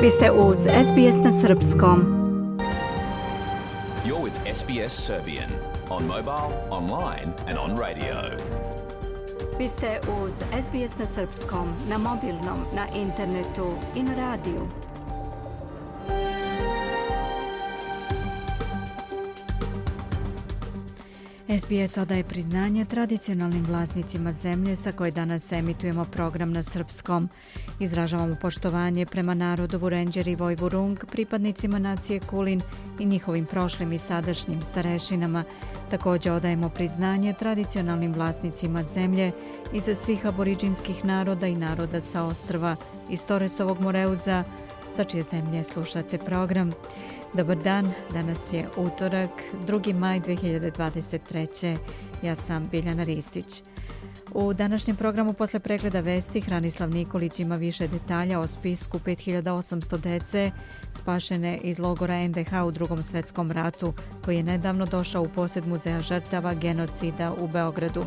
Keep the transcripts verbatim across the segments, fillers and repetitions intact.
Vi ste uz S B S na srpskom. You're with S B S Serbian on mobile, online and on radio. Vi ste uz S B S na srpskom, na mobilnom, na internetu i na radiju. S B S odaje priznanje tradicionalnim vlasnicima zemlje sa koje danas emitujemo program na srpskom. Izražavamo poštovanje prema narodu Vurenđeri i Vojvurung, pripadnicima nacije Kulin i njihovim prošlim i sadašnjim starešinama. Također odajemo priznanje tradicionalnim vlasnicima zemlje i za svih aboriđinskih naroda i naroda sa ostrva iz Toresovog Moreuza, sa čije zemlje slušate program. Dobar dan, danas je utorak, drugi maj dve hiljade dvadeset treće. Ja sam Biljana Ristić. U današnjem programu posle pregleda vesti Hranislav Nikolić ima više detalja o spisku pet hiljada osamsto dece spašene iz logora N D H u Drugom svetskom ratu, koji je nedavno došao u posjed Muzeja žrtava genocida u Beogradu.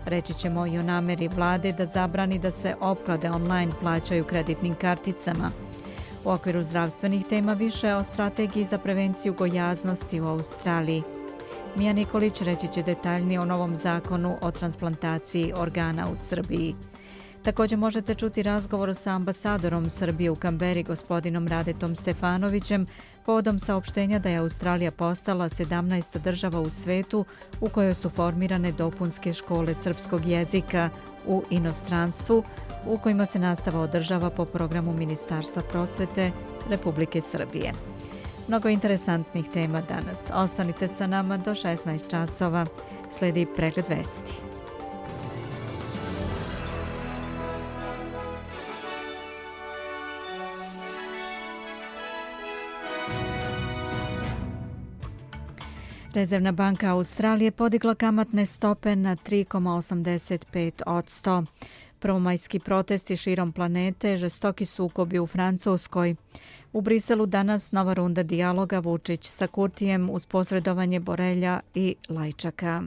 Reći ćemo i o nameri vlade da zabrani da se opklade online plaćaju kreditnim karticama. U okviru zdravstvenih tema više o strategiji za prevenciju gojaznosti u Australiji. Mija Nikolić reći će detaljnije o novom zakonu o transplantaciji organa u Srbiji. Također možete čuti razgovor sa ambasadorom Srbije u Kamberi, gospodinom Radetom Stefanovićem, povodom saopštenja da je Australija postala sedamnaesta država u svetu u kojoj su formirane dopunske škole srpskog jezika u inostranstvu, u kojima se nastava održava po programu Ministarstva prosvete Republike Srbije. Mnogo interesantnih tema danas. Ostanite sa nama do šesnaest časova. Sledi pregled vesti. Rezervna banka Australije podigla kamatne stope na tri zarez osamdeset pet posto. Prvomajski protesti širom planete, žestoki sukobi u Francuskoj. U Briselu danas nova runda dijaloga Vučić sa Kurtijem uz posredovanje Borelja i Lajčaka.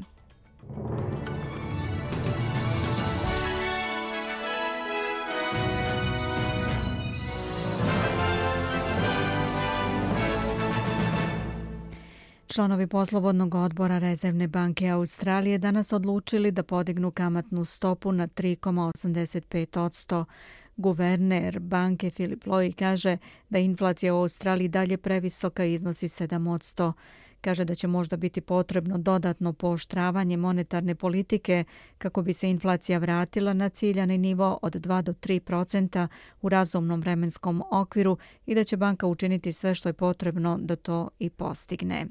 Članovi poslovodnog odbora Rezervne banke Australije danas odlučili da podignu kamatnu stopu na tri zarez osamdeset pet posto. Guverner banke Philip Loy kaže da inflacija u Australiji dalje previsoka i iznosi sedam posto. Kaže da će možda biti potrebno dodatno pooštravanje monetarne politike kako bi se inflacija vratila na ciljani nivo od dva do tri procenta u razumnom vremenskom okviru i da će banka učiniti sve što je potrebno da to i postigne.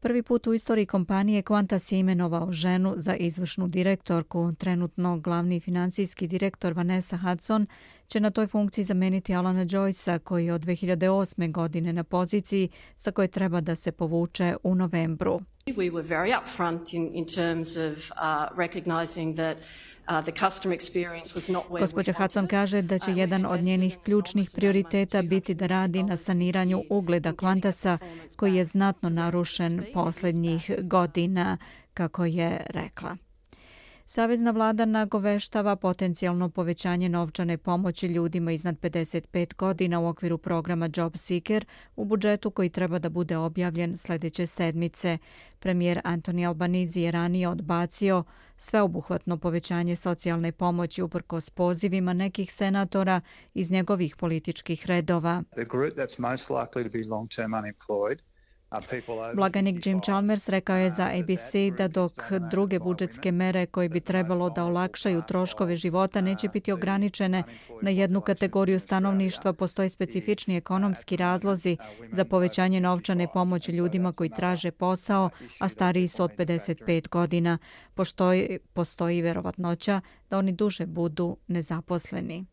Prvi put u istoriji kompanije Qantas je imenovao ženu za izvršnu direktorku. Trenutno glavni finansijski direktor Vanessa Hudson će na toj funkciji zameniti Alana Joycea, koji je od dve hiljade osme. godine na poziciji sa koje treba da se povuče u novembru. We were very upfront in, in terms of uh, recognizing that uh, the customer experience was not where Gospođa Hudson kaže da će jedan od njenih ključnih prioriteta biti da radi na saniranju ugleda Qantasa, koji je znatno narušen posljednjih godina, kako je rekla. Savezna vlada nagoveštava potencijalno povećanje novčane pomoći ljudima iznad pedeset pet godina u okviru programa Job Seeker u budžetu koji treba da bude objavljen sljedeće sedmice. Premijer Anthony Albanese je ranije odbacio sveobuhvatno povećanje socijalne pomoći uprkos pozivima nekih senatora iz njegovih političkih redova. Blagajnik Jim Chalmers rekao je za A B C da dok druge budžetske mere koje bi trebalo da olakšaju troškove života neće biti ograničene na jednu kategoriju stanovništva, postoje specifični ekonomski razlozi za povećanje novčane pomoći ljudima koji traže posao, a stariji su od pedeset pet godina. Postoji, postoji verovatnoća da oni duže budu nezaposleni.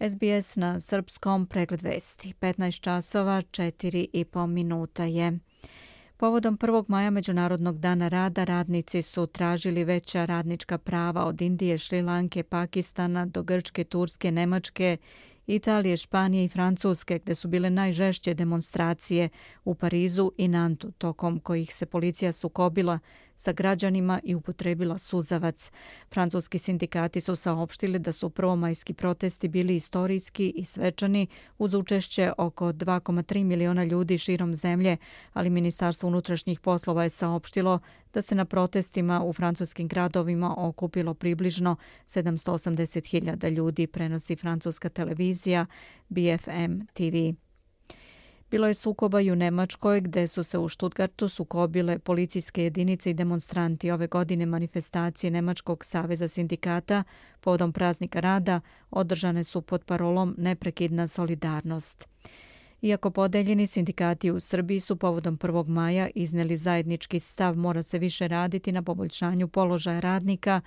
S B S na srpskom, pregled vesti. petnaest časova, četiri i po minuta je. Povodom prvog maja Međunarodnog dana rada radnici su tražili veća radnička prava od Indije, Šrilanke, Pakistana do Grčke, Turske, Nemačke, Italije, Španije i Francuske, gde su bile najžešće demonstracije u Parizu i Nantu, tokom kojih se policija sukobila sa građanima i upotrebila suzavac. Francuski sindikati su saopštili da su prvomajski protesti bili istorijski i svečani uz učešće oko dva zarez tri miliona ljudi širom zemlje, ali Ministarstvo unutrašnjih poslova je saopštilo da se na protestima u francuskim gradovima okupilo približno sedamsto osamdeset hiljada ljudi, prenosi francuska televizija B F M T V. Bilo je sukoba i u Nemačkoj, gde su se u Stuttgartu sukobile policijske jedinice i demonstranti. Ove godine manifestacije Nemačkog saveza sindikata povodom praznika rada održane su pod parolom Neprekidna solidarnost. Iako podeljeni, sindikati u Srbiji su povodom prvog maja izneli zajednički stav mora se više raditi na poboljšanju položaja radnika,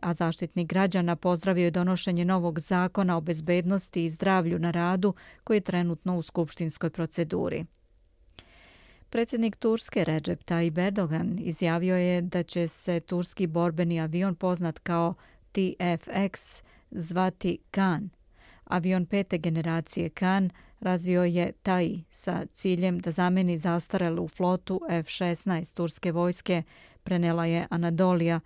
a Zaštitnik građana pozdravio je donošenje novog zakona o bezbednosti i zdravlju na radu koji je trenutno u skupštinskoj proceduri. Predsjednik Turske Recep Tayyip Erdogan izjavio je da će se turski borbeni avion poznat kao T F X zvati Kan. Avion pete generacije Kan razvio je Tayi sa ciljem da zameni zastarelu flotu F šesnaest turske vojske, prenela je Anadolija.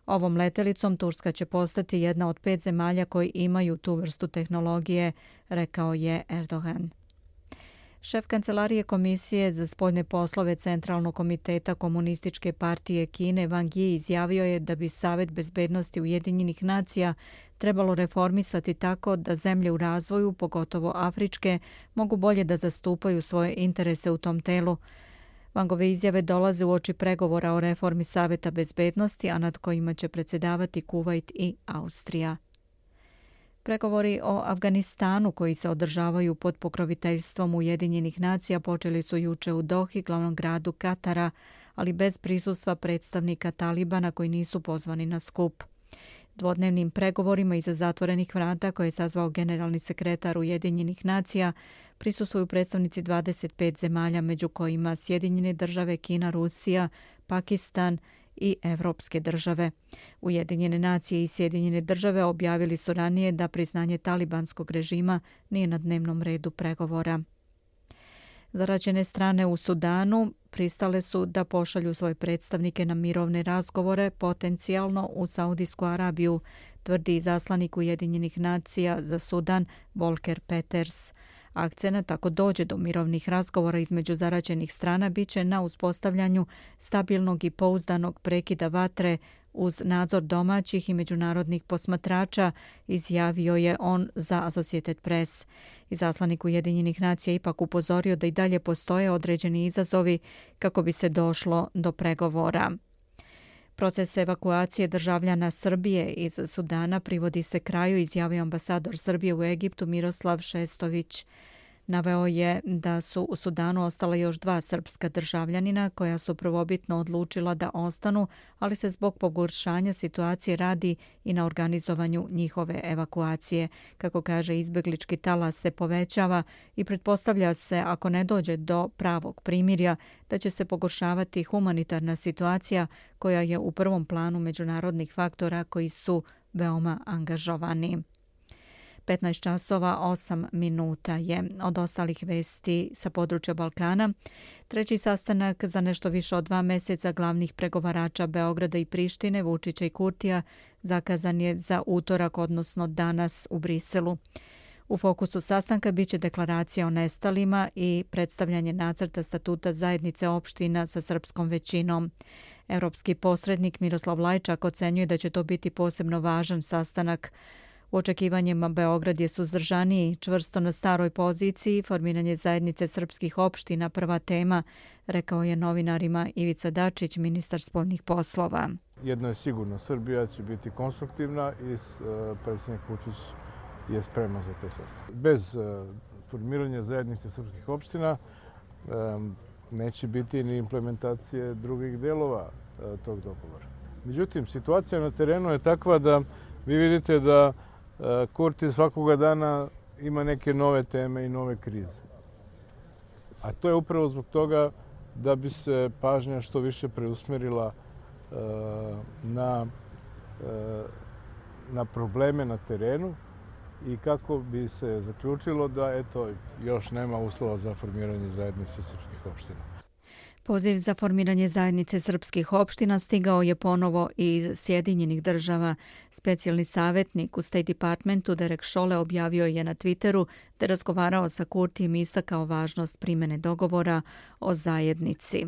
Ovom letelicom Turska će postati jedna od pet zemalja koji imaju tu vrstu tehnologije, rekao je Erdogan. Šef kancelarije Komisije za spoljne poslove Centralnog komiteta Komunističke partije Kine Wang Yi izjavio je da bi Savet bezbednosti Ujedinjenih nacija trebalo reformisati tako da zemlje u razvoju, pogotovo afričke, mogu bolje da zastupaju svoje interese u tom telu. Wangove izjave dolaze uoči pregovora o reformi Saveta bezbednosti, a nad kojima će predsjedavati Kuvajt i Austrija. Pregovori o Afganistanu koji se održavaju pod pokroviteljstvom Ujedinjenih nacija počeli su juče u Dohi, glavnom gradu Katara, ali bez prisustva predstavnika Talibana koji nisu pozvani na skup. Dvodnevnim pregovorima iza zatvorenih vrata koje je sazvao generalni sekretar Ujedinjenih nacija prisustvuju predstavnici dvadeset pet zemalja, među kojima Sjedinjene države, Kina, Rusija, Pakistan i evropske države. Ujedinjene nacije i Sjedinjene države objavili su ranije da priznanje talibanskog režima nije na dnevnom redu pregovora. Zaraćene strane u Sudanu pristale su da pošalju svoje predstavnike na mirovne razgovore potencijalno u Saudijsku Arabiju, tvrdi izaslanik Ujedinjenih nacija za Sudan Volker Peters. Akcenat, ako dođe do mirovnih razgovora između zaraćenih strana, bit će na uspostavljanju stabilnog i pouzdanog prekida vatre uz nadzor domaćih i međunarodnih posmatrača, izjavio je on za Associated Press. Izaslanik Ujedinjenih nacija ipak upozorio da i dalje postoje određeni izazovi kako bi se došlo do pregovora. Proces evakuacije državljana Srbije iz Sudana privodi se kraju, izjavio ambasador Srbije u Egiptu Miroslav Šestović. Naveo je da su u Sudanu ostala još dva srpska državljanina koja su prvobitno odlučila da ostanu, ali se zbog pogoršanja situacije radi i na organizovanju njihove evakuacije. Kako kaže, izbjeglički talas se povećava i pretpostavlja se, ako ne dođe do pravog primirja, da će se pogoršavati humanitarna situacija koja je u prvom planu međunarodnih faktora koji su veoma angažovani. petnaest časova osam minuta je od ostalih vesti sa područja Balkana. Treći sastanak za nešto više od dva mjeseca glavnih pregovarača Beograda i Prištine, Vučića i Kurtija, zakazan je za utorak, odnosno danas u Briselu. U fokusu sastanka biće deklaracija o nestalima i predstavljanje nacrta statuta zajednice opština sa srpskom većinom. Europski posrednik Miroslav Lajčak ocenjuje da će to biti posebno važan sastanak. U očekivanjima Beograd je suzdržaniji, čvrsto na staroj poziciji, formiranje zajednice srpskih opština prva tema, rekao je novinarima Ivica Dačić, ministar spoljnih poslova. Jedno je sigurno, Srbija će biti konstruktivna i predsjednik Vučić je spreman za te sastanke. Bez formiranja zajednice srpskih opština neće biti ni implementacije drugih delova tog dogovora. Međutim, situacija na terenu je takva da vi vidite da Kurti svakoga dana ima neke nove teme i nove krize. A to je upravo zbog toga da bi se pažnja što više preusmerila na, na probleme na terenu i kako bi se zaključilo da eto, još nema uslova za formiranje zajednice srpskih opština. Poziv za formiranje zajednice srpskih opština stigao je ponovo iz Sjedinjenih država. Specijalni savjetnik u State Departmentu Derek Chollet objavio je na Twitteru da je razgovarao sa Kurtijem i istakao važnost primjene dogovora o zajednici.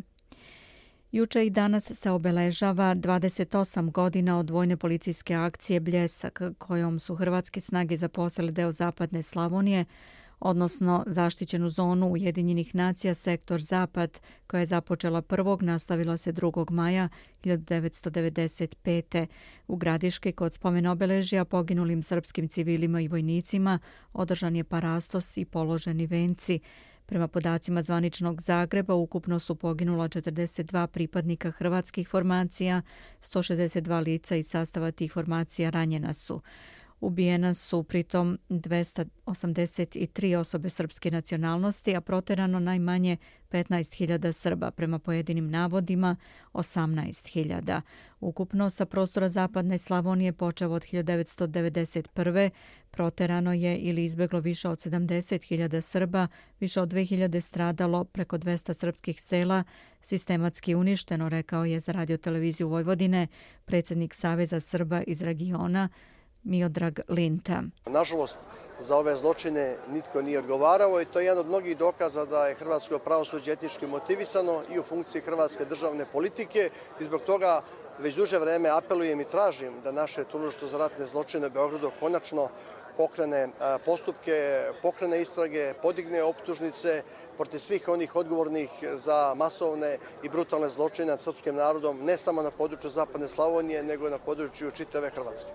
Juče i danas se obeležava dvadeset osam godina od vojne policijske akcije Bljesak, kojom su hrvatske snage zaposlile deo zapadne Slavonije, odnosno zaštićenu zonu Ujedinjenih nacija sektor Zapad, koja je započela prvog, nastavila se drugog maja hiljadu devetsto devedeset pete. U Gradiški kod spomen obeležja poginulim srpskim civilima i vojnicima održan je parastos i položeni venci. Prema podacima zvaničnog Zagreba, ukupno su poginula četrdeset dva pripadnika hrvatskih formacija, sto šezdeset dva lica iz sastava tih formacija ranjena su. Ubijena su pritom dvesta osamdeset tri osobe srpske nacionalnosti, a proterano najmanje petnaest hiljada Srba, prema pojedinim navodima osamnaest hiljada. Ukupno sa prostora zapadne Slavonije počev od hiljadu devetsto devedeset prve. proterano je ili izbjeglo više od sedamdeset hiljada Srba, više od dve hiljade stradalo, preko dvesta srpskih sela sistematski uništeno, rekao je za radioteleviziju Vojvodine predsjednik Saveza Srba iz regiona Miodrag Linta. Nažalost, za ove zločine nitko nije odgovarao i to je jedan od mnogih dokaza da je hrvatsko pravosuđe etnički motivisano i u funkciji hrvatske državne politike i zbog toga već duže vreme apelujem i tražim da naše tužilaštvo za ratne zločine u Beogradu konačno pokrene postupke, pokrene istrage, podigne optužnice protiv svih onih odgovornih za masovne i brutalne zločine nad srpskim narodom, ne samo na području zapadne Slavonije, nego i na području čitave Hrvatske.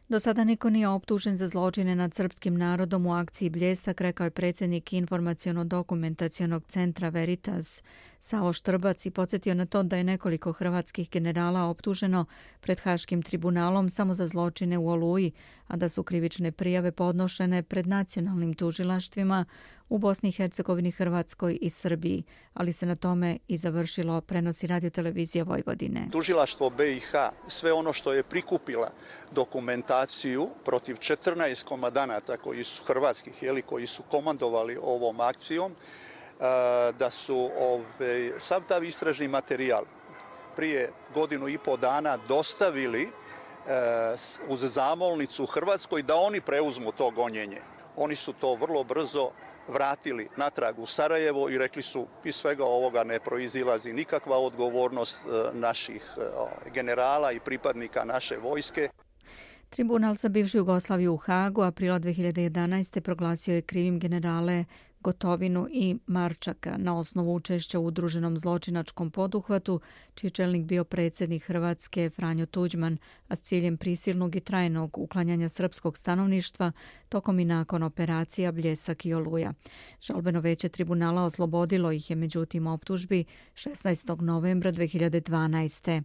Do sada niko nije optužen za zločine nad srpskim narodom u akciji Bljesak, rekao je predsjednik informaciono-dokumentacionog centra Veritas Savo Štrbac i podsjetio na to da je nekoliko hrvatskih generala optuženo pred Haškim tribunalom samo za zločine u Oluji, a da su krivične prijave podnošene pred nacionalnim tužilaštvima u Bosni i Hercegovini, Hrvatskoj i Srbiji, ali se na tome i završilo, prenosi radiotelevizija Vojvodine. Tužilaštvo B i H sve ono što je prikupila dokumentaciju protiv četrnaest komandanata koji su hrvatskih, jeli, koji su komandovali ovom akcijom, da su ove, sav taj istražni materijal prije godinu i po dana dostavili uz zamolnicu Hrvatskoj da oni preuzmu to gonjenje. Oni su to vrlo brzo vratili natrag u Sarajevo i rekli su iz svega ovoga ne proizilazi nikakva odgovornost naših generala i pripadnika naše vojske. Tribunal za bivšu Jugoslaviju u Hagu aprila dve hiljade jedanaeste. proglasio je krivim generale Gotovinu i Marčaka na osnovu učešća u udruženom zločinačkom poduhvatu, čiji je čelnik bio predsjednik Hrvatske Franjo Tuđman, a s ciljem prisilnog i trajnog uklanjanja srpskog stanovništva tokom i nakon operacija Bljesak i Oluja. Žalbeno veće tribunala oslobodilo ih je međutim optužbi šesnaestog novembra dve hiljade dvanaeste.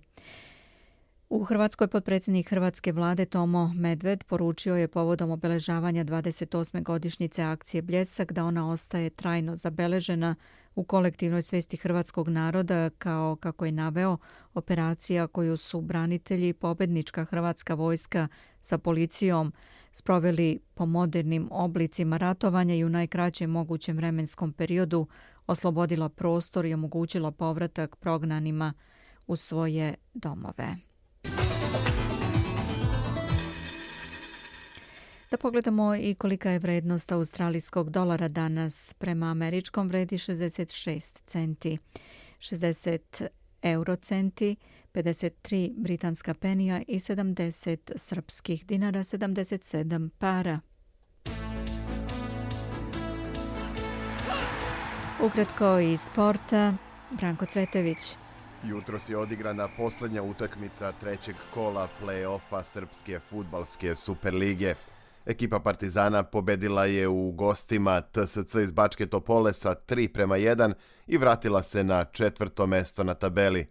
U Hrvatskoj potpredsjednik hrvatske vlade Tomo Medved poručio je povodom obeležavanja dvadeset osme godišnjice akcije Bljesak da ona ostaje trajno zabeležena u kolektivnoj svesti hrvatskog naroda kao, kako je naveo, operacija koju su branitelji pobednička hrvatska vojska sa policijom sproveli po modernim oblicima ratovanja i u najkraćem mogućem vremenskom periodu oslobodila prostor i omogućila povratak prognanima u svoje domove. Da pogledamo i kolika je vrednost australijskog dolara danas. Prema američkom vredi šezdeset šest centi, šezdeset eurocenti, pedeset tri britanska penija i sedamdeset srpskih dinara, sedamdeset sedam para. Ukratko iz sporta, Branko Cvetović. Jutros je odigrana posljednja utakmica trećeg kola play-offa Srpske fudbalske superlige. Ekipa Partizana pobedila je u gostima T S C iz Bačke Topole sa tri prema jedan i vratila se na četvrto mesto na tabeli.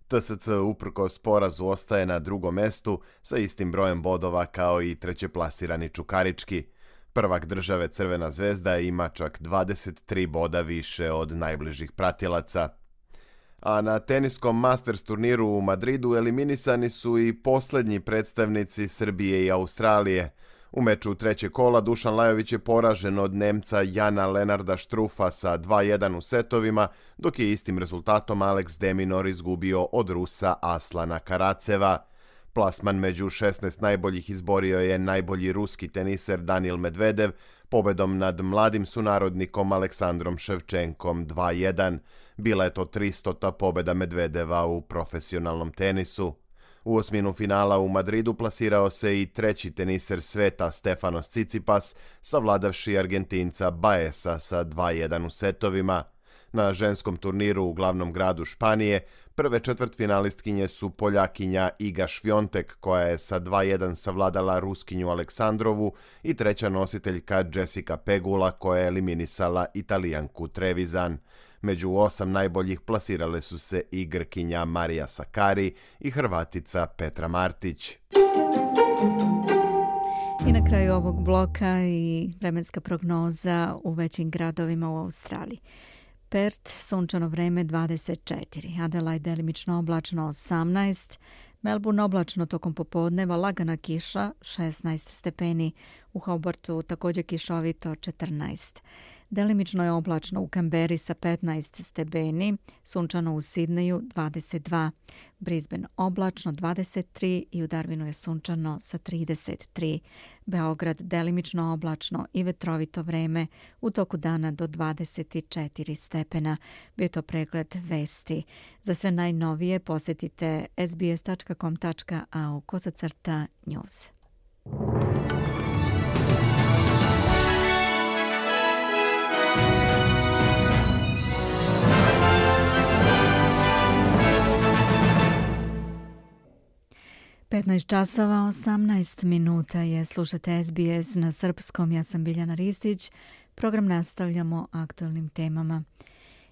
T S C uprkos porazu ostaje na drugom mestu sa istim brojem bodova kao i trećeplasirani Čukarički. Prvak države Crvena zvezda ima čak dvadeset tri boda više od najbližih pratilaca. A na teniskom Masters turniru u Madridu eliminisani su i posljednji predstavnici Srbije i Australije. U meču trećeg kola Dušan Lajović je poražen od Nemca Jana Lenarda Štrufa sa dva jedan u setovima, dok je istim rezultatom Alex de Minaur izgubio od Rusa Aslana Karaceva. Plasman među šesnaest najboljih izborio je najbolji ruski teniser Danil Medvedev pobedom nad mladim sunarodnikom Aleksandrom Ševčenkom dva jedan. Bila je to tristota pobeda Medvedeva u profesionalnom tenisu. U osminu finala u Madridu plasirao se i treći teniser sveta Stefanos Tsitsipas, savladavši Argentinca Baeza sa dva jedan u setovima. Na ženskom turniru u glavnom gradu Španije prve četvrtfinalistkinje su Poljakinja Iga Švjontek, koja je sa dva jedan savladala Ruskinju Aleksandrovu, i treća nositeljka Jessica Pegula, koja je eliminisala Italijanku Trevisan. Među osam najboljih plasirale su se i Grkinja Marija Sakari i Hrvatica Petra Martić. I na kraju ovog bloka i vremenska prognoza u većim gradovima u Australiji. Perth, sunčano vreme dvadeset četiri, Adelaide delimično oblačno osamnaest, Melbourne oblačno tokom popodneva, lagana kiša šesnaest stepeni, u Hobartu također kišovito četrnaest. Delimično je oblačno u Kamberi sa petnaest stepeni, sunčano u Sidneju dvadeset dva, Brisbane oblačno dvadeset tri i u Darwinu je sunčano sa trideset tri. Beograd delimično oblačno i vetrovito vreme, u toku dana do dvadeset četiri stepena. Bio to pregled vesti. Za sve najnovije posjetite s b s tačka com tačka a u kosacrta news. petnaest časova osamnaest minuta je, slušate S B S na srpskom, ja sam Biljana Ristić. Program nastavljamo aktualnim temama.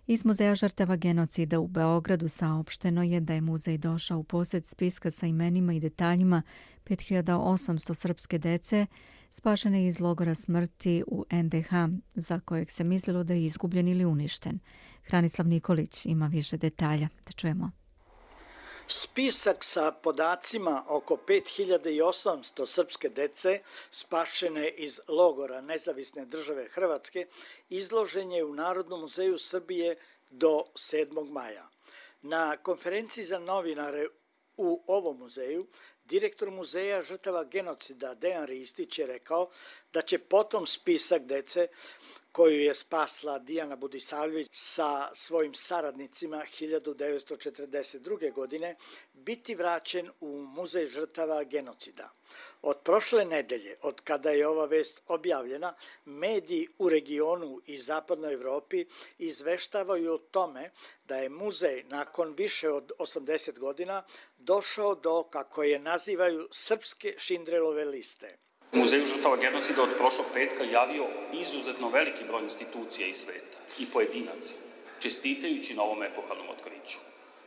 Iz Muzeja žrtava genocida u Beogradu saopšteno je da je muzej došao u posjed spiska sa imenima i detaljima pet hiljada osamsto srpske dece spašene iz logora smrti u en de ha, za kojeg se mislilo da je izgubljen ili uništen. Hranislav Nikolić ima više detalja. Da čujemo. Spisak sa podacima oko pet hiljada osamsto srpske dece spašene iz logora Nezavisne države Hrvatske izložen je u Narodnom muzeju Srbije do sedmog maja. Na konferenciji za novinare u ovom muzeju direktor Muzeja žrtava genocida Dejan Ristić je rekao da će potom spisak dece koju je spasla Dijana Budisavljević sa svojim saradnicima hiljadu devetsto četrdeset druge. godine biti vraćen u Muzej žrtava genocida. Od prošle nedelje, od kada je ova vest objavljena, mediji u regionu i zapadnoj Evropi izveštavaju o tome da je muzej nakon više od osamdeset godina došao do, kako je nazivaju, srpske Šindrelove liste. Muzeju žrtava genocida od prošlog petka javio izuzetno veliki broj institucija iz sveta i pojedinaca, čestitajući na ovom epohalnom otkriću.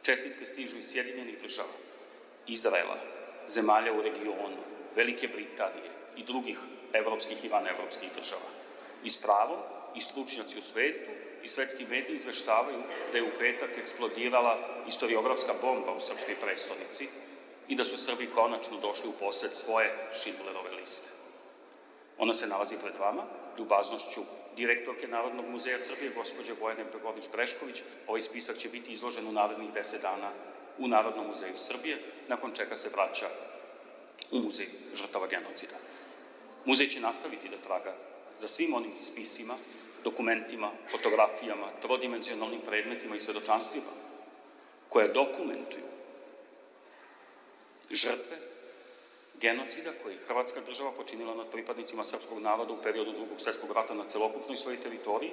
Čestitke stižu iz Sjedinjenih država, Izraela, zemalja u regionu, Velike Britanije i drugih evropskih i vanevropskih država. I s pravom i stručnjaci u svetu i svetski mediji izveštavaju da je u petak eksplodirala istoriografska bomba u srpskoj prestonici i da su Srbi konačno došli u posjed svoje Šindlerove liste. Ona se nalazi pred vama, ljubaznošću direktorke Narodnog muzeja Srbije, gospođe Bojane Begović-Brešković. Ovaj spisak će biti izložen u narednih deset dana u Narodnom muzeju Srbije, nakon čega se vraća u Muzej žrtava genocida. Muzej će nastaviti da traga za svim onim spisima, dokumentima, fotografijama, trodimenzionalnim predmetima i svedočanstvima koje dokumentuju žrtve genocida koje je Hrvatska država počinila nad pripadnicima srpskog naroda u periodu Drugog svjetskog rata na celokupnoj svojoj teritoriji,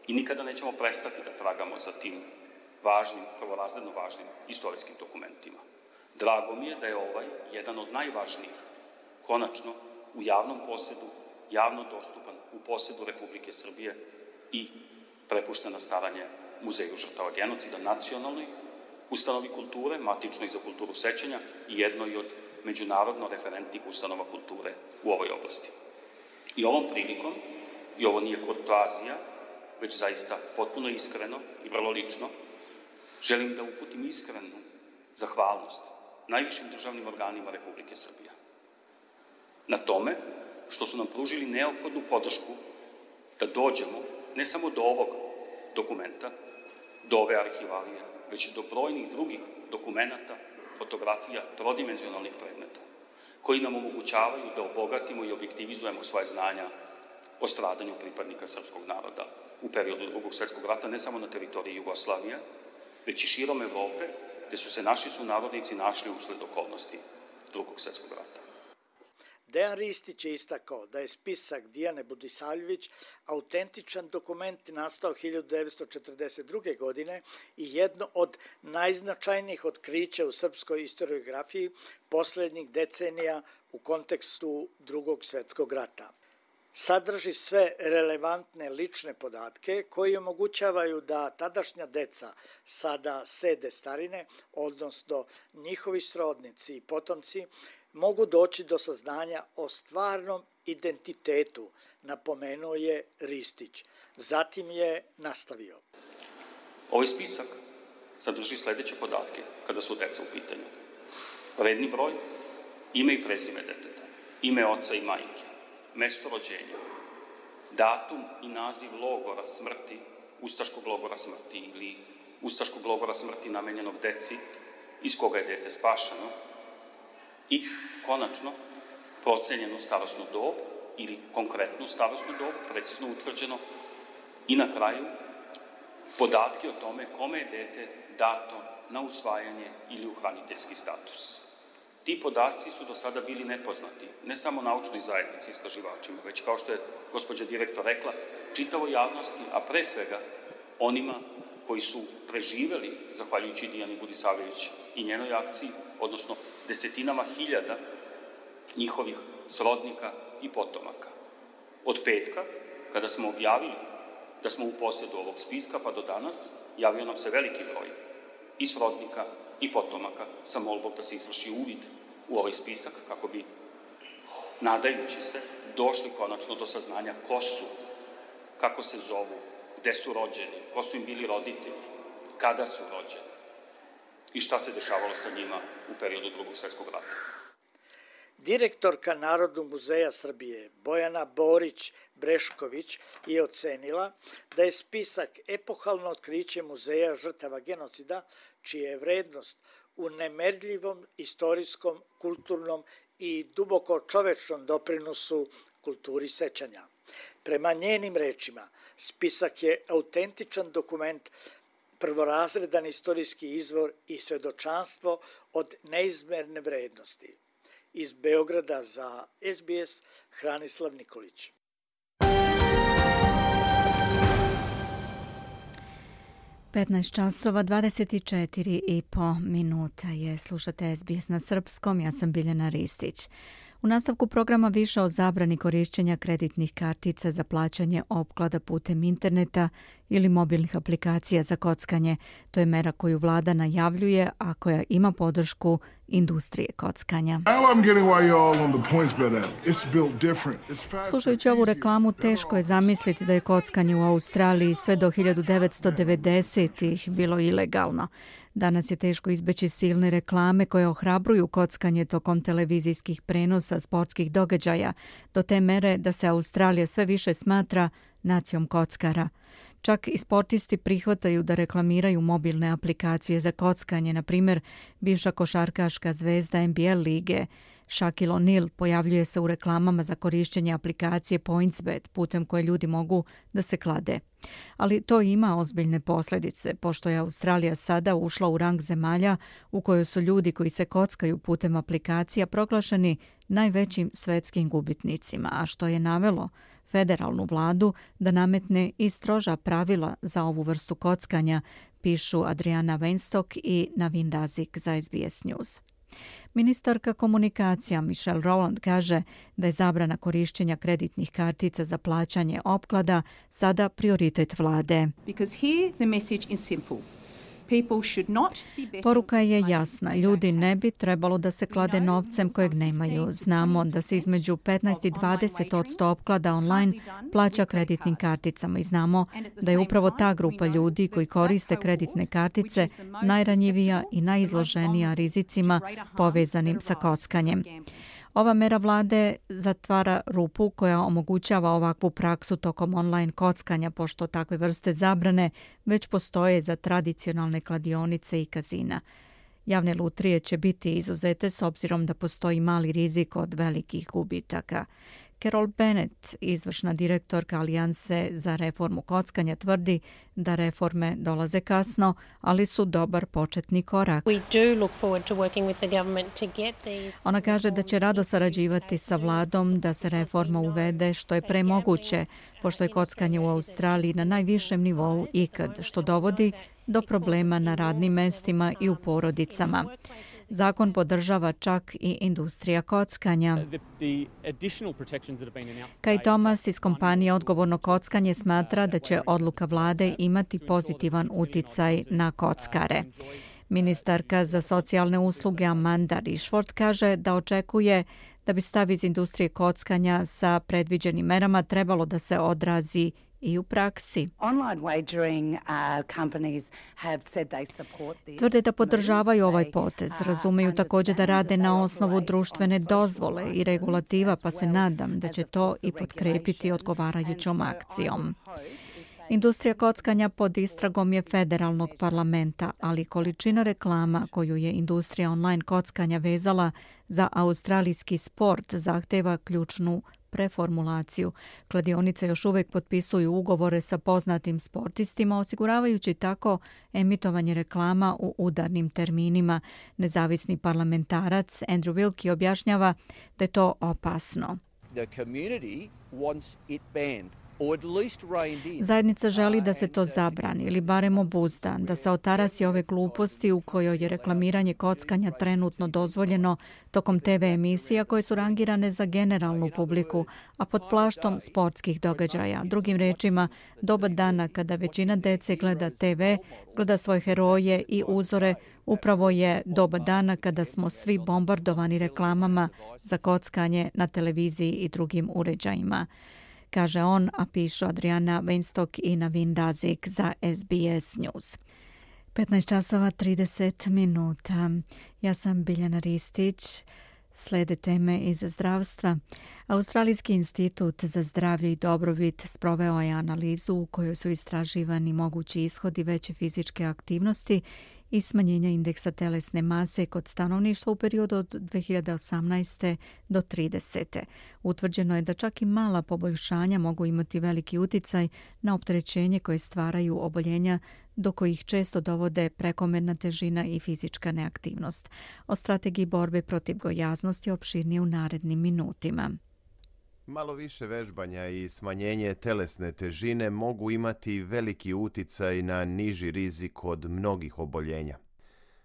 i nikada nećemo prestati da tragamo za tim važnim, prvorazredno važnim istorijskim dokumentima. Drago mi je da je ovaj jedan od najvažnijih konačno u javnom posjedu, javno dostupan, u posjedu Republike Srbije i prepušten na staranje Muzeju žrtava genocida, nacionalnoj ustanovi kulture, matičnoj za kulturu sećanja i jednoj od međunarodno referentnih ustanova kulture u ovoj oblasti. I ovom prilikom, i ovo nije kurtoazija, već zaista potpuno iskreno i vrlo lično, želim da uputim iskrenu zahvalnost najvišim državnim organima Republike Srbije na tome što su nam pružili neophodnu podršku da dođemo ne samo do ovog dokumenta, do ove arhivalije, već i do brojnih drugih dokumenata, fotografija, trodimenzionalnih predmeta, koji nam omogućavaju da obogatimo i objektivizujemo svoje znanja o stradanju pripadnika srpskog naroda u periodu Drugog svjetskog rata, ne samo na teritoriji Jugoslavije, već i širom Evrope, gde su se naši sunarodnici našli usled okolnosti Drugog svjetskog rata. Dejan Ristić je istakao da je spisak Dijane Budisavljević autentičan dokument nastao hiljadu devetsto četrdeset druge. godine i jedno od najznačajnijih otkrića u srpskoj historiografiji poslednjih decenija u kontekstu Drugog svjetskog rata. Sadrži sve relevantne lične podatke koji omogućavaju da tadašnja deca, sada sede starine, odnosno njihovi srodnici i potomci, mogu doći do saznanja o stvarnom identitetu, napomenuo je Ristić. Zatim je nastavio. Ovaj spisak sadrži sledeće podatke kada su deca u pitanju. Redni broj, ime i prezime deteta, ime oca i majke, mesto rođenja, datum i naziv logora smrti, ustaškog logora smrti ili ustaškog logora smrti namenjenog deci iz koga je dete spašeno i, konačno, procenjenu starosnu dob ili konkretnu starosnu dob, precizno utvrđeno, i na kraju podatke o tome kome je dete dato na usvajanje ili u hraniteljski status. Ti podaci su do sada bili nepoznati, ne samo naučnoj zajednici istraživačima, već, kao što je gospođa direktor rekla, čitavoj javnosti, a pre svega onima koji su preživeli, zahvaljujući Dijani Budisavljević i njenoj akciji, odnosno desetinama hiljada njihovih srodnika i potomaka. Od petka, kada smo objavili da smo u posjedu ovog spiska, pa do danas, javio nam se veliki broj i srodnika i potomaka sa molbom da se izvrši uvid u ovaj spisak, kako bi, nadajući se, došli konačno do saznanja ko su, kako se zovu, gde su rođeni, ko su im bili roditelji, kada su rođeni i šta se dešavalo sa njima u periodu Drugog svjetskog rata. Direktorka Narodnog muzeja Srbije Bojana Borić-Brešković je ocenila da je spisak epohalno otkriće muzeja žrtava genocida, čija je vrednost u nemerljivom istorijskom, kulturnom i duboko čovečnom doprinosu kulturi sećanja. Prema njenim rečima, spisak je autentičan dokument, prvorazredan istorijski izvor i svedočanstvo od neizmerne vrednosti. Iz Beograda za S B S, Hranislav Nikolić. petnaest časova dvadeset četiri i po minuta je. Slušate S B S na srpskom, ja sam Biljana Ristić. U nastavku programa više o zabrani korišćenja kreditnih kartica za plaćanje opklada putem interneta ili mobilnih aplikacija za kockanje. To je mera koju vlada najavljuje, a koja ima podršku industrije kockanja. Slušajući ovu reklamu, teško je zamisliti da je kockanje u Australiji sve do hiljadu devetsto devedesetih bilo ilegalno. Danas je teško izbeći silne reklame koje ohrabruju kockanje tokom televizijskih prenosa sportskih događaja, do te mere da se Australija sve više smatra nacijom kockara. Čak i sportisti prihvataju da reklamiraju mobilne aplikacije za kockanje. Na primjer, bivša košarkaška zvezda N B A lige Shaquille O'Neal pojavljuje se u reklamama za korišćenje aplikacije PointsBet, putem koje ljudi mogu da se klade. Ali to ima ozbiljne posljedice, pošto je Australija sada ušla u rang zemalja u kojoj su ljudi koji se kockaju putem aplikacija proglašeni najvećim svetskim gubitnicima, a što je navelo federalnu vladu da nametne i stroža pravila za ovu vrstu kockanja, pišu Adriana Weinstock i Navin Razik za S B S News. Ministarka komunikacija Michelle Rowland kaže da je zabrana korišćenja kreditnih kartica za plaćanje opklada sada prioritet vlade. Poruka je jasna. Ljudi ne bi trebalo da se klade novcem kojeg nemaju. Znamo da se između petnaest i dvadeset odsto opklada online plaća kreditnim karticama i znamo da je upravo ta grupa ljudi koji koriste kreditne kartice najranjivija i najizloženija rizicima povezanim sa kockanjem. Ova mera vlade zatvara rupu koja omogućava ovakvu praksu tokom online kockanja, pošto takve vrste zabrane već postoje za tradicionalne kladionice i kazina. Javne lutrije će biti izuzete s obzirom da postoji mali rizik od velikih gubitaka. Carol Bennett, izvršna direktorka Alijanse za reformu kockanja, tvrdi da reforme dolaze kasno, ali su dobar početni korak. Ona kaže da će rado sarađivati sa vladom da se reforma uvede što je pre moguće, pošto je kockanje u Australiji na najvišem nivou ikad, što dovodi do problema na radnim mestima i u porodicama. Zakon podržava čak i industrija kockanja. Kai Thomas iz kompanije Odgovorno kockanje smatra da će odluka vlade imati pozitivan uticaj na kockare. Ministarka za socijalne usluge Amanda Rishford kaže da očekuje da bi stav iz industrije kockanja sa predviđenim merama trebalo da se odrazi i u praksi. Tvrde da podržavaju ovaj potez. Razumeju također da rade na osnovu društvene dozvole i regulativa, pa se nadam da će to i potkrepiti odgovarajućom akcijom. Industrija kockanja pod istragom je federalnog parlamenta, ali količina reklama koju je industrija online kockanja vezala za australijski sport zahteva ključnu preformulaciju. Kladionice još uvijek potpisuju ugovore sa poznatim sportistima, osiguravajući tako emitovanje reklama u udarnim terminima. Nezavisni parlamentarac Andrew Wilkie objašnjava da je to opasno. The community wants it banned. Zajednica želi da se to zabrani ili barem obuzda, da se otarasi ove gluposti u kojoj je reklamiranje kockanja trenutno dozvoljeno tokom te ve emisija koje su rangirane za generalnu publiku, a pod plaštom sportskih događaja. Drugim rečima, doba dana kada većina dece gleda te ve, gleda svoje heroje i uzore, upravo je doba dana kada smo svi bombardovani reklamama za kockanje na televiziji i drugim uređajima, kaže on, a pišu Adriana Weinstock i Navin Razik za es be es News. petnaest časova trideset minuta. Ja sam Biljana Ristić. Slede teme iz zdravstva. Australijski institut za zdravlje i dobrobit sproveo je analizu u kojoj su istraživani mogući ishodi veće fizičke aktivnosti i smanjenja indeksa telesne mase kod stanovništva u periodu od dve hiljade osamnaeste do tridesete. Utvrđeno je da čak i mala poboljšanja mogu imati veliki uticaj na opterećenje koje stvaraju oboljenja do kojih često dovode prekomerna težina i fizička neaktivnost. O strategiji borbe protiv gojaznosti opširnije u narednim minutima. Malo više vežbanja i smanjenje telesne težine mogu imati veliki uticaj na niži rizik od mnogih oboljenja.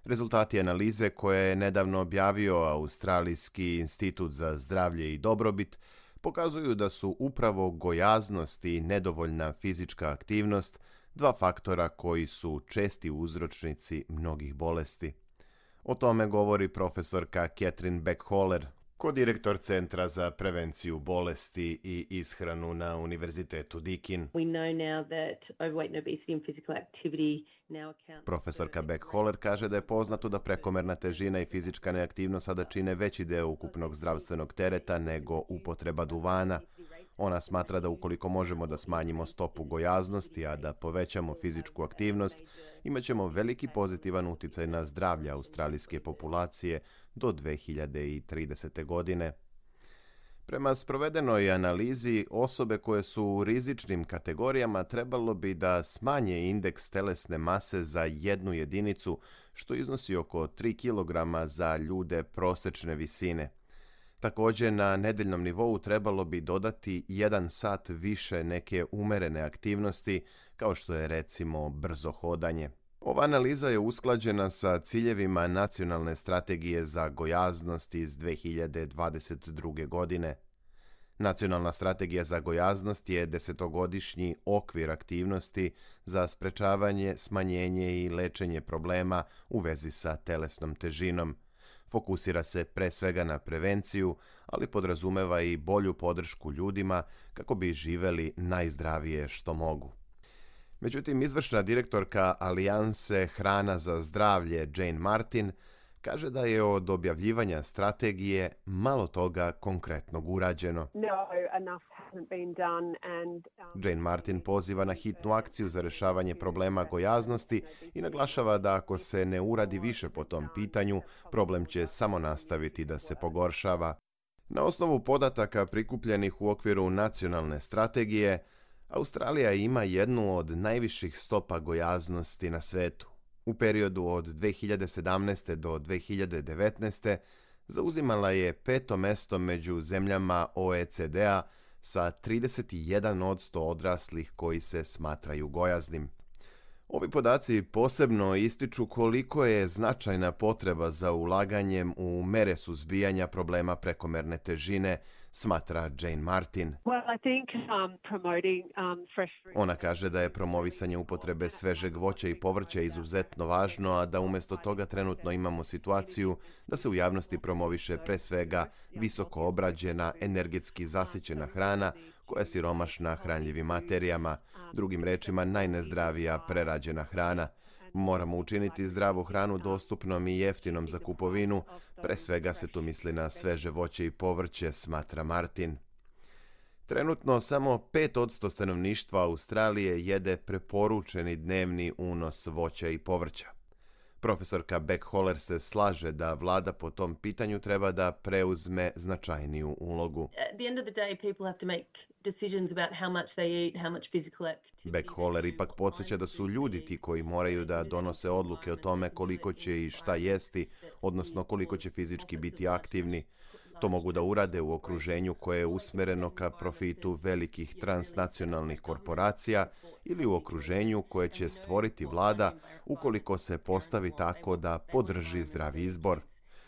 Rezultati analize koje je nedavno objavio Australijski institut za zdravlje i dobrobit pokazuju da su upravo gojaznost i nedovoljna fizička aktivnost dva faktora koji su česti uzročnici mnogih bolesti. O tome govori profesorka Catherine Beck-Holler, kodirektor Centra za prevenciju bolesti i ishranu na Univerzitetu Deakin. Profesorka Beck-Holler kaže da je poznato da prekomerna težina i fizička neaktivnost sada čine veći deo ukupnog zdravstvenog tereta nego upotreba duvana. Ona smatra da ukoliko možemo da smanjimo stopu gojaznosti, a da povećamo fizičku aktivnost, imat ćemo veliki pozitivan uticaj na zdravlje australijske populacije do dve hiljade tridesete. godine. Prema sprovedenoj analizi, osobe koje su u rizičnim kategorijama trebalo bi da smanje indeks telesne mase za jednu jedinicu, što iznosi oko tri kilograma za ljude prosečne visine. Također, na nedeljnom nivou trebalo bi dodati jedan sat više neke umerene aktivnosti, kao što je recimo brzo hodanje. Ova analiza je usklađena sa ciljevima Nacionalne strategije za gojaznost iz dve hiljade dvadeset druge. godine. Nacionalna strategija za gojaznost je desetogodišnji okvir aktivnosti za sprečavanje, smanjenje i lečenje problema u vezi sa telesnom težinom. Fokusira se pre svega na prevenciju, ali podrazumeva i bolju podršku ljudima kako bi živeli najzdravije što mogu. Međutim, izvršna direktorka Alijanse Hrana za zdravlje Jane Martin kaže da je od objavljivanja strategije malo toga konkretnog urađeno. Jane Martin poziva na hitnu akciju za rješavanje problema gojaznosti i naglašava da ako se ne uradi više po tom pitanju, problem će samo nastaviti da se pogoršava. Na osnovu podataka prikupljenih u okviru nacionalne strategije, Australija ima jednu od najviših stopa gojaznosti na svetu. U periodu od dve hiljade sedamnaeste. do dve hiljade devetnaeste. zauzimala je peto mesto među zemljama O E C D-a sa trideset jedan posto odraslih koji se smatraju gojaznim. Ovi podaci posebno ističu koliko je značajna potreba za ulaganjem u mere suzbijanja problema prekomerne težine, smatra Jane Martin. Ona kaže da je promovisanje upotrebe svežeg voća i povrća izuzetno važno, a da umjesto toga trenutno imamo situaciju da se u javnosti promoviše pre svega visoko obrađena, energetski zasićena hrana koja je siromašna hranljivim materijama, drugim rečima najnezdravija prerađena hrana. Moramo učiniti zdravu hranu dostupnom i jeftinom za kupovinu, pre svega se tu misli na sveže voće i povrće, smatra Martin. Trenutno samo pet posto stanovništva Australije jede preporučeni dnevni unos voća i povrća. Profesorka Beck Holler se slaže da vlada po tom pitanju treba da preuzme značajniju ulogu. Beck Holler ipak podsjeća da su ljudi ti koji moraju da donose odluke o tome koliko će i šta jesti, odnosno koliko će fizički biti aktivni. To mogu da urade u okruženju koje je usmereno ka profitu velikih transnacionalnih korporacija ili u okruženju koje će stvoriti vlada ukoliko se postavi tako da podrži zdravi izbor.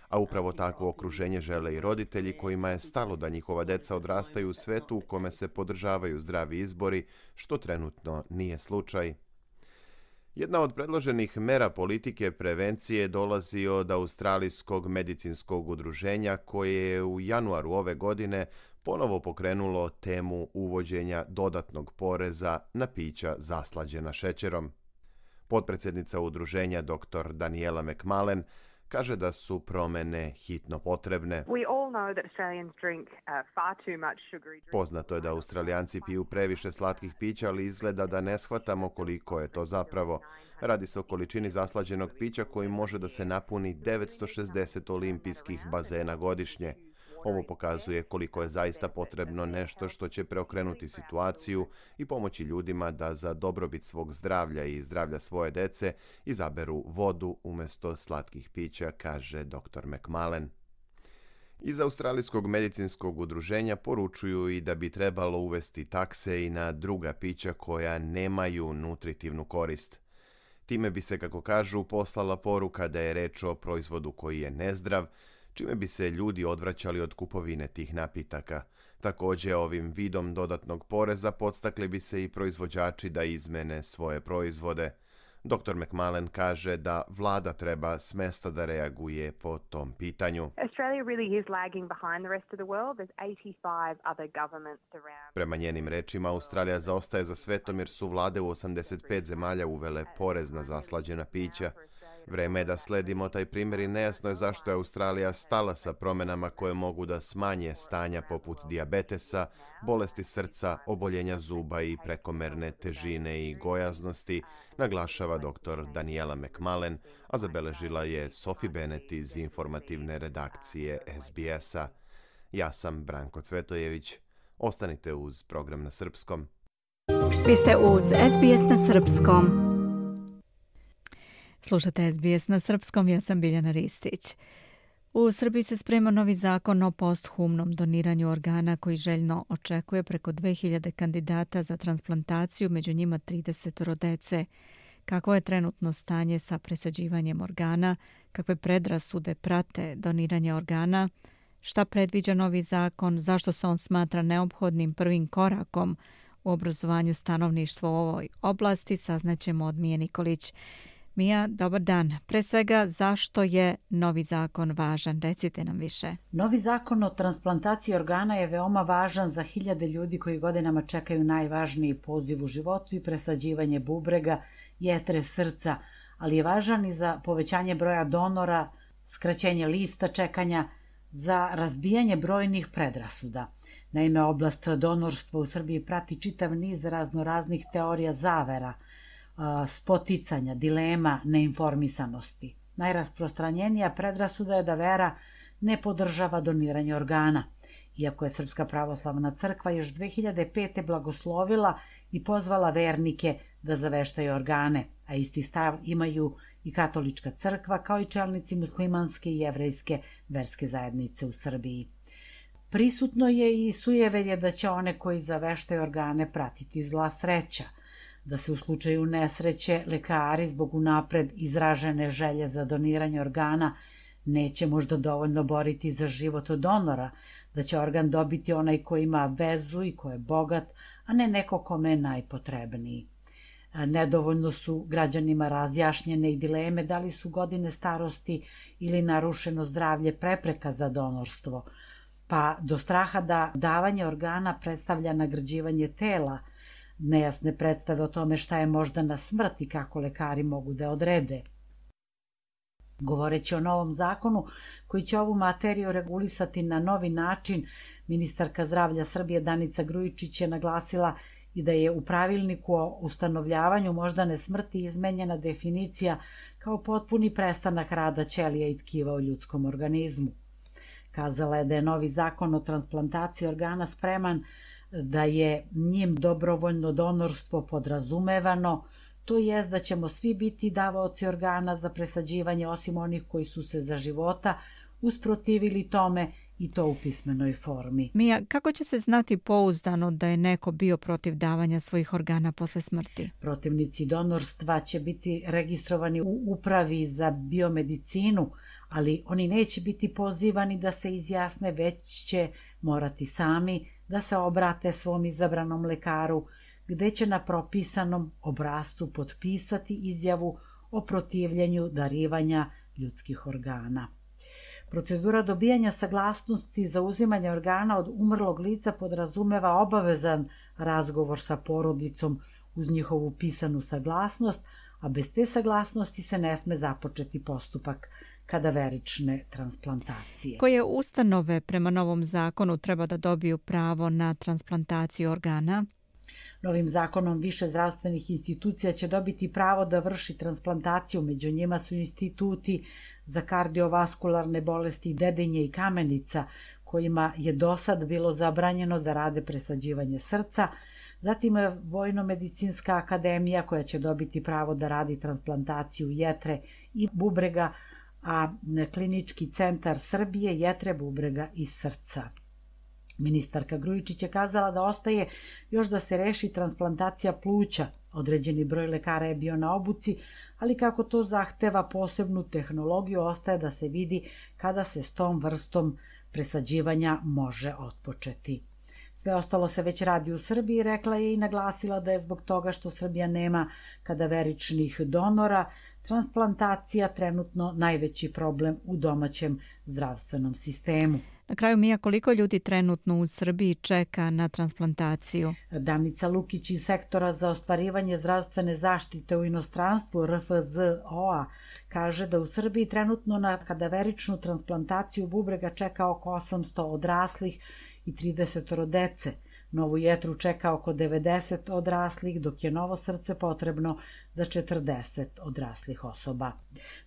A upravo takvo okruženje žele i roditelji kojima je stalo da njihova deca odrastaju u svetu u kome se podržavaju zdravi izbori, što trenutno nije slučaj. Jedna od predloženih mera politike prevencije dolazi od Australijskog medicinskog udruženja koje je u januaru ove godine ponovo pokrenulo temu uvođenja dodatnog poreza na pića zaslađena šećerom. Potpredsjednica udruženja dr Daniela McMullen kaže da su promene hitno potrebne. Poznato je da Australijanci piju previše slatkih pića, ali izgleda da ne shvatamo koliko je to zapravo. Radi se o količini zaslađenog pića koji može da se napuni devetsto šezdeset olimpijskih bazena godišnje. Ovo pokazuje koliko je zaista potrebno nešto što će preokrenuti situaciju i pomoći ljudima da za dobrobit svog zdravlja i zdravlja svoje dece izaberu vodu umjesto slatkih pića, kaže dr McMullen. Iz Australijskog medicinskog udruženja poručuju i da bi trebalo uvesti takse i na druga pića koja nemaju nutritivnu korist. Time bi se, kako kažu, poslala poruka da je reč o proizvodu koji je nezdrav, čime bi se ljudi odvraćali od kupovine tih napitaka. Također, ovim vidom dodatnog poreza podstakli bi se i proizvođači da izmene svoje proizvode. dr McMullen kaže da vlada treba s mesta da reaguje po tom pitanju. Prema njenim rečima, Australija zaostaje za svetom jer su vlade u osamdeset pet zemalja uvele porez na zaslađena pića. Vreme je da sledimo taj primjer i nejasno je zašto je Australija stala sa promjenama koje mogu da smanje stanja poput dijabetesa, bolesti srca, oboljenja zuba i prekomerne težine i gojaznosti, naglašava dr Daniela McMullen, a zabeležila je Sophie Bennett iz informativne redakcije S B S-a. Ja sam Branko Cvetojević. Ostanite uz program na srpskom. Vi ste uz S B S na srpskom. Slušate S B S na srpskom, ja sam Biljana Ristić. U Srbiji se sprema novi zakon o posthumnom doniranju organa koji željno očekuje preko dve hiljade kandidata za transplantaciju, među njima trideset dece. Kako je trenutno stanje sa presađivanjem organa, kakve predrasude prate doniranje organa, šta predviđa novi zakon, zašto se on smatra neophodnim prvim korakom u obrazovanju stanovništva u ovoj oblasti, saznaćemo od Mije Nikolić. Mija, dobar dan. Pre svega, zašto je novi zakon važan? Recite nam više. Novi zakon o transplantaciji organa je veoma važan za hiljade ljudi koji godinama čekaju najvažniji poziv u životu i presađivanje bubrega, jetre, srca, ali je važan i za povećanje broja donora, skraćenje lista čekanja, za razbijanje brojnih predrasuda. Naime, oblast donorstva u Srbiji prati čitav niz raznoraznih teorija zavera, spoticanja, dilema, neinformisanosti. Najrasprostranjenija predrasuda je da vera ne podržava doniranje organa, iako je Srpska pravoslavna crkva još dve hiljade pete blagoslovila i pozvala vernike da zaveštaju organe, a isti stav imaju i katolička crkva, kao i čelnici muslimanske i jevrejske verske zajednice u Srbiji. Prisutno je i sujeverje da će one koji zaveštaju organe pratiti zla sreća, da se u slučaju nesreće lekari zbog unapred izražene želje za doniranje organa neće možda dovoljno boriti za život od donora, da će organ dobiti onaj ko ima vezu i ko je bogat, a ne neko kome je najpotrebniji. Nedovoljno su građanima razjašnjene i dileme da li su godine starosti ili narušeno zdravlje prepreka za donorstvo, pa do straha da davanje organa predstavlja nagrađivanje tela, nejasne predstave o tome šta je moždana smrt i kako lekari mogu da odrede. Govoreći o novom zakonu koji će ovu materiju regulisati na novi način, ministarka zdravlja Srbije Danica Grujičić je naglasila i da je u pravilniku o ustanovljavanju moždane smrti izmenjena definicija kao potpuni prestanak rada ćelija i tkiva u ljudskom organizmu. Kazala je da je novi zakon o transplantaciji organa spreman, da je njim dobrovoljno donorstvo podrazumevano, to jest da ćemo svi biti davaoci organa za presađivanje osim onih koji su se za života usprotivili tome i to u pismenoj formi. Mija, kako će se znati pouzdano da je neko bio protiv davanja svojih organa posle smrti? Protivnici donorstva će biti registrovani u upravi za biomedicinu, ali oni neće biti pozivani da se izjasne, već će morati sami da se obrate svom izabranom lekaru, gde će na propisanom obrascu potpisati izjavu o protivljenju darivanja ljudskih organa. Procedura dobijanja saglasnosti za uzimanje organa od umrlog lica podrazumeva obavezan razgovor sa porodicom uz njihovu pisanu saglasnost, a bez te saglasnosti se ne sme započeti postupak kadaverične transplantacije. Koje ustanove prema novom zakonu treba da dobiju pravo na transplantaciju organa? Novim zakonom više zdravstvenih institucija će dobiti pravo da vrši transplantaciju, među njima su instituti za kardiovaskularne bolesti Dedinje i Kamenica, kojima je do sad bilo zabranjeno da rade presađivanje srca, zatim je Vojno-medicinska akademija koja će dobiti pravo da radi transplantaciju jetre i bubrega, a Klinički centar Srbije jetre, bubrega i srca. Ministarka Grujičić je kazala da ostaje još da se reši transplantacija pluća. Određeni broj lekara je bio na obuci, ali kako to zahteva posebnu tehnologiju, ostaje da se vidi kada se s tom vrstom presađivanja može otpočeti. Sve ostalo se već radi u Srbiji, rekla je i naglasila da je zbog toga što Srbija nema kadaveričnih donora, transplantacija trenutno najveći problem u domaćem zdravstvenom sistemu. Na kraju, Mija, koliko ljudi trenutno u Srbiji čeka na transplantaciju? Danica Lukić iz sektora za ostvarivanje zdravstvene zaštite u inostranstvu R F Z O-a kaže da u Srbiji trenutno na kadaveričnu transplantaciju bubrega čeka oko osamsto odraslih i trideset dece. Novu jetru čeka oko devedeset odraslih, dok je novo srce potrebno za četrdeset odraslih osoba.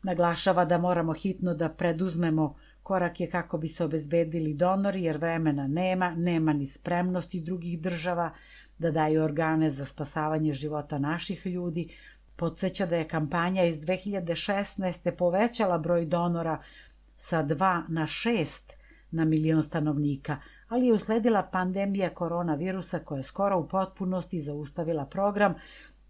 Naglašava da moramo hitno da preduzmemo korake kako bi se obezbedili donori, jer vremena nema, nema ni spremnosti drugih država da daju organe za spasavanje života naših ljudi. Podsjeća da je kampanja iz dve hiljade šesnaeste. povećala broj donora sa dva na šest na milion stanovnika, ali je usledila pandemija koronavirusa koja je skoro u potpunosti zaustavila program,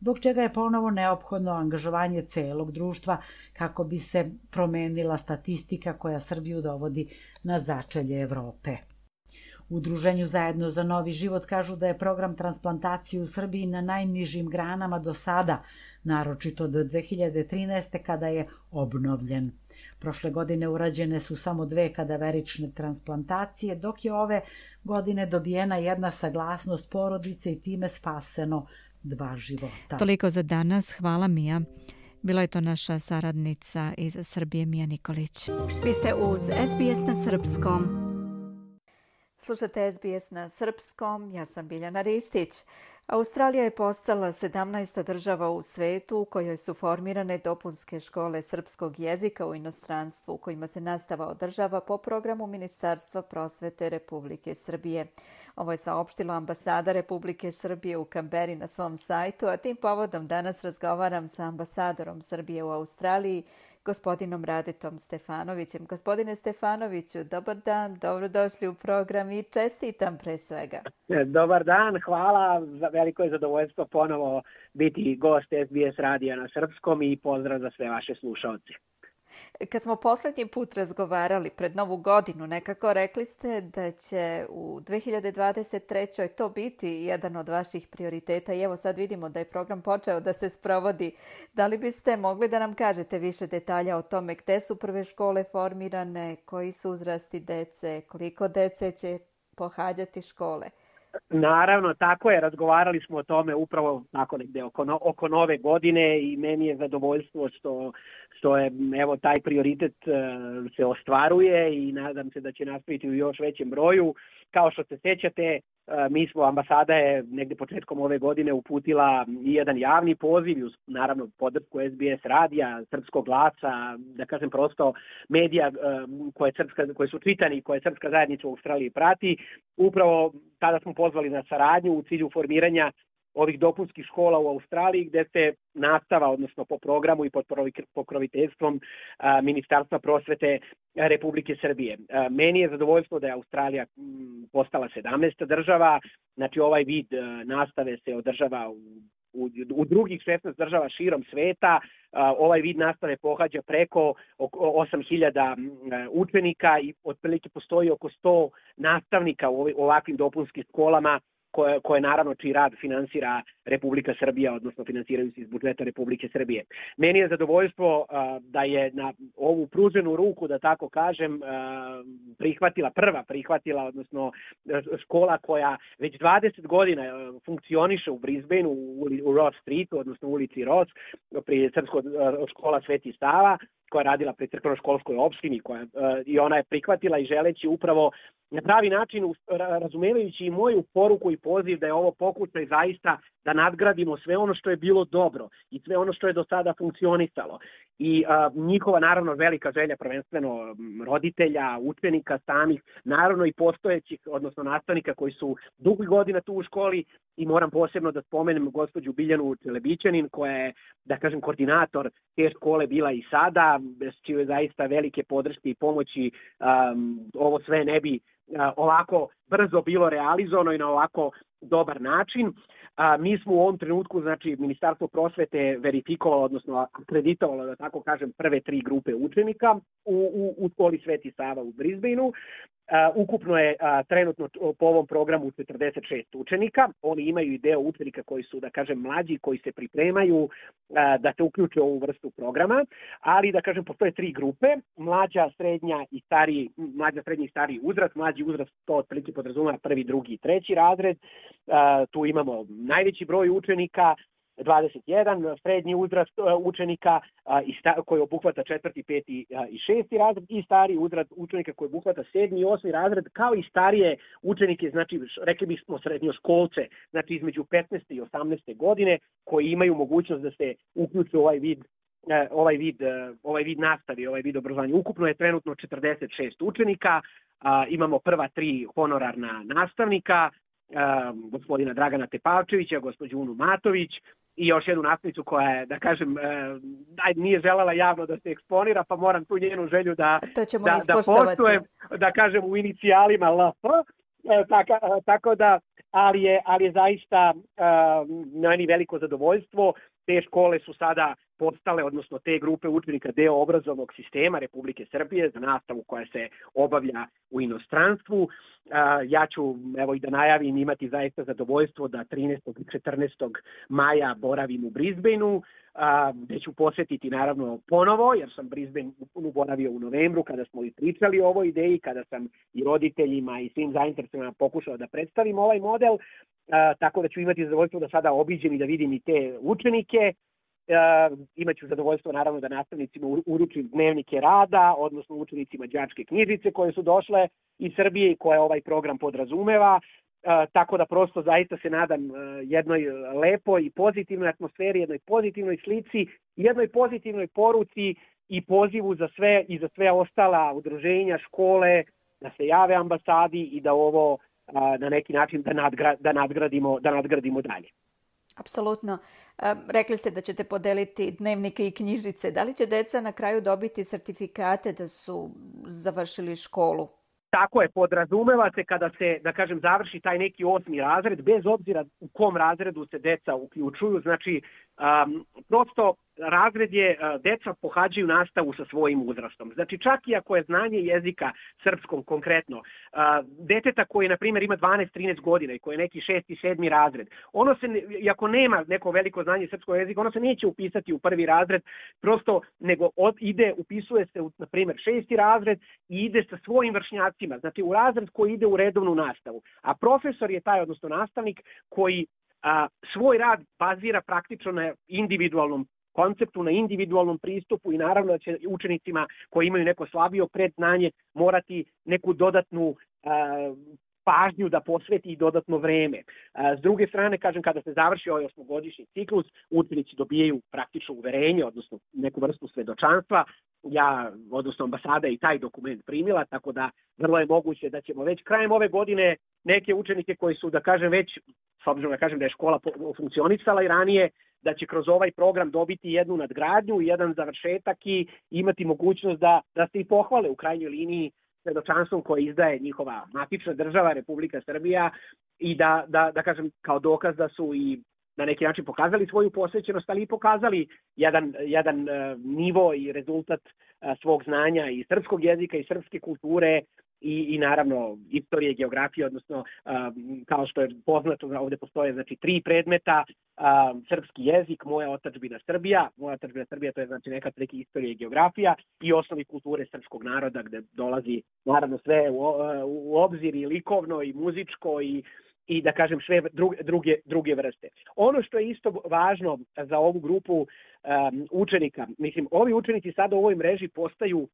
zbog čega je ponovo neophodno angažovanje celog društva kako bi se promenila statistika koja Srbiju dovodi na začelje Evrope. U Udruženju Zajedno za novi život kažu da je program transplantacije u Srbiji na najnižim granama do sada, naročito do dve hiljade trinaeste. kada je obnovljen. Prošle godine urađene su samo dve kadaverične transplantacije, dok je ove godine dobijena jedna saglasnost porodice i time spaseno dva života. Toliko za danas. Hvala, Mija. Bila je to naša saradnica iz Srbije, Mija Nikolić. Vi ste uz S B S na Srpskom. Slušate S B S na Srpskom, ja sam Biljana Ristić. Australija je postala sedamnaesta država u svetu u kojoj su formirane dopunske škole srpskog jezika u inostranstvu, u kojima se nastava održava po programu Ministarstva prosvete Republike Srbije. Ovo je saopštila ambasada Republike Srbije u Kamberi na svom sajtu, a tim povodom danas razgovaram sa ambasadorom Srbije u Australiji, gospodinom Radetom Stefanovićem. Gospodine Stefanoviću, dobar dan, dobrodošli u program i čestitam pre svega. Dobar dan, hvala, veliko je zadovoljstvo ponovo biti gost S B S radija na srpskom i pozdrav za sve vaše slušalce. Kad smo poslednji put razgovarali pred Novu godinu, nekako rekli ste da će u dve hiljade dvadeset trećoj to biti jedan od vaših prioriteta i evo sad vidimo da je program počeo da se sprovodi. Da li biste mogli da nam kažete više detalja o tome gde su prve škole formirane, koji su uzrasti dece, koliko dece će pohađati škole? Naravno, tako je, razgovarali smo o tome upravo tako negde oko, no, oko nove godine i meni je zadovoljstvo što, što je evo taj prioritet uh, se ostvaruje i nadam se da će nastaviti u još većem broju. Kao što se sjećate, uh, mi smo, ambasada je negde početkom ove godine uputila i jedan javni poziv, uz naravno podršku S B S radija, Srpskog glasa, da kažem prosto medija uh, koje, srpska, koje su čitani i koje srpska zajednica u Australiji prati. Upravo tada smo pozvali na saradnju u cilju formiranja ovih dopunskih škola u Australiji gdje se nastava, odnosno po programu i pod pokroviteljstvom a, Ministarstva prosvete Republike Srbije. A, meni je zadovoljstvo da je Australija m, postala sedamnaesta država, znači ovaj vid a, nastave se održava u, u, u drugih šesnaest država širom sveta. A, ovaj vid nastave pohađa preko osam hiljada učenika i otprilike postoji oko sto nastavnika u ovakvim dopunskim školama koje, koje naravno čiji rad finansira Republika Srbija, odnosno finansiraju se iz budžeta Republike Srbije. Meni je zadovoljstvo uh, da je na ovu pruženu ruku, da tako kažem, uh, prihvatila, prva prihvatila, odnosno škola koja već dvadeset godina uh, funkcioniše u Brisbaneu, u, u Ross Streetu, odnosno u ulici Ross, pri Srpskoj uh, škola Sveti Sava, koja je radila pri crkveno-školskoj opštini koja, uh, i ona je prihvatila i želeći upravo na pravi način, razumevajući i moju poruku i poziv da je ovo pokušaj zaista da nadgradimo sve ono što je bilo dobro i sve ono što je do sada funkcionisalo. I a, njihova naravno velika želja prvenstveno roditelja, učenika samih, naravno i postojećih, odnosno nastavnika koji su dugi godina tu u školi i moram posebno da spomenem gospođu Biljanu Čelebićanin koja je, da kažem, koordinator te škole bila i sada, bez čije zaista velike podrške i pomoći um, ovo sve ne bi ovako brzo bilo realizovano i na ovako dobar način. A, mi smo u ovom trenutku, znači, Ministarstvo prosvete verifikovalo, odnosno akreditovalo, da tako kažem, prve tri grupe učenika u, u, u školi Sveti Sava u Brisbaneu. A, ukupno je a, trenutno po ovom programu četrdeset šest učenika. Oni imaju i deo učenika koji su, da kažem, mlađi, koji se pripremaju a, da se uključe u ovu vrstu programa, ali, da kažem, postoje tri grupe, mlađa, srednja i stariji, mlađa, srednji i stariji uzrast. Mlađi uzrast to otprilike podrazumeva prvi, drugi i treći razred. A, tu imamo najveći broj učenika, dvadeset jedan, srednji uzrast učenika koji obuhvata četvrti, peti i šesti razred i stariji uzrast učenika koji obuhvata sedmi i osmi razred, kao i starije učenike, znači rekli bismo srednjoškolce, znači između petnaeste i osamnaeste godine, koji imaju mogućnost da se uključe u ovaj vid ovaj vid, ovaj vid nastavi, ovaj vid obrazovanja. Ukupno je trenutno četrdeset šest učenika, imamo prva tri honorarna nastavnika, Uh, gospodina Dragana Tepavčevića, gospođu Unu Matović i još jednu nastavnicu koja je, da kažem, uh, nije želela javno da se eksponira, pa moram tu njenu želju da, da, da poštujem, da kažem u inicijalima L F, uh, tako, uh, tako da, ali je, ali je zaista uh, meni veliko zadovoljstvo. Te škole su sada postale, odnosno te grupe učenika, deo obrazovnog sistema Republike Srbije za nastavu koja se obavlja u inostranstvu. Ja ću, evo i da najavim, imati zaista zadovoljstvo da trinaestog i četrnaestog maja boravim u Brisbaneu, gde ću posjetiti naravno ponovo, jer sam Brisbane boravio u novembru kada smo i pričali o ovoj ideji, kada sam i roditeljima i svim zainteresovanima pokušao da predstavim ovaj model. Tako da ću imati zadovoljstvo da sada obiđem i da vidim i te učenike. Uh, imaću zadovoljstvo naravno da nastavnicima uručim dnevnike rada, odnosno učenicima đačke knjižice koje su došle iz Srbije i koje ovaj program podrazumeva. Uh, tako da prosto zaista se nadam uh, jednoj lepoj i pozitivnoj atmosferi, jednoj pozitivnoj slici, jednoj pozitivnoj poruci i pozivu za sve i za sve ostala udruženja, škole, da se jave ambasadi i da ovo uh, na neki način da, nadgra, da, nadgradimo, da nadgradimo dalje. Apsolutno. Rekli ste da ćete podeliti dnevnike i knjižice. Da li će deca na kraju dobiti sertifikate da su završili školu? Tako je, podrazumeva se kada se, da kažem, završi taj neki osmi razred, bez obzira u kom razredu se deca uključuju. Znači, um, prosto razred je, deca pohađaju nastavu sa svojim uzrastom. Znači, čak i ako je znanje jezika srpskom konkretno, deteta koji, na primjer, ima dvanaest trinaest godina i koji je neki šesti sedmi razred, ono se, iako nema neko veliko znanje srpskog jezika, ono se neće upisati u prvi razred, prosto nego od, ide, upisuje se u, na primjer, šesti razred i ide sa svojim vršnjacima, znači u razred koji ide u redovnu nastavu. A profesor je taj, odnosno nastavnik, koji a, svoj rad bazira praktično na individualnom konceptu, na individualnom pristupu i naravno da će učenicima koji imaju neko slabije predznanje morati neku dodatnu uh, pažnju da posveti i dodatno vreme. Uh, s druge strane, kažem, kada se završi ovaj osmogodišnji ciklus, učenici dobijaju praktično uverenje, odnosno neku vrstu svedočanstva. Ja, odnosno ambasada i taj dokument primila, tako da vrlo je moguće da ćemo već krajem ove godine neke učenike koji su, da kažem, već, s obzirom da kažem da je škola funkcionisala i ranije, da će kroz ovaj program dobiti jednu nadgradnju, jedan završetak i imati mogućnost da, da se i pohvale u krajnjoj liniji svedočanstvom koje izdaje njihova matična država, Republika Srbija, i da, da, da kažem, kao dokaz da su i na neki način pokazali svoju posvećenost, ali i pokazali jedan, jedan uh, nivo i rezultat uh, svog znanja i srpskog jezika i srpske kulture i, i naravno istorije i geografije, odnosno um, kao što je poznato, ovdje postoje znači tri predmeta, um, srpski jezik, moja otadžbina Srbija, moja otadžbina Srbija to je znači neka treki istorije i geografija i osnovi kulture srpskog naroda gde dolazi naravno sve u, u obzir i likovno i muzičko i i da kažem sve druge, druge, druge vrste. Ono što je isto važno za ovu grupu um, učenika, mislim, ovi učenici sada u ovoj mreži postaju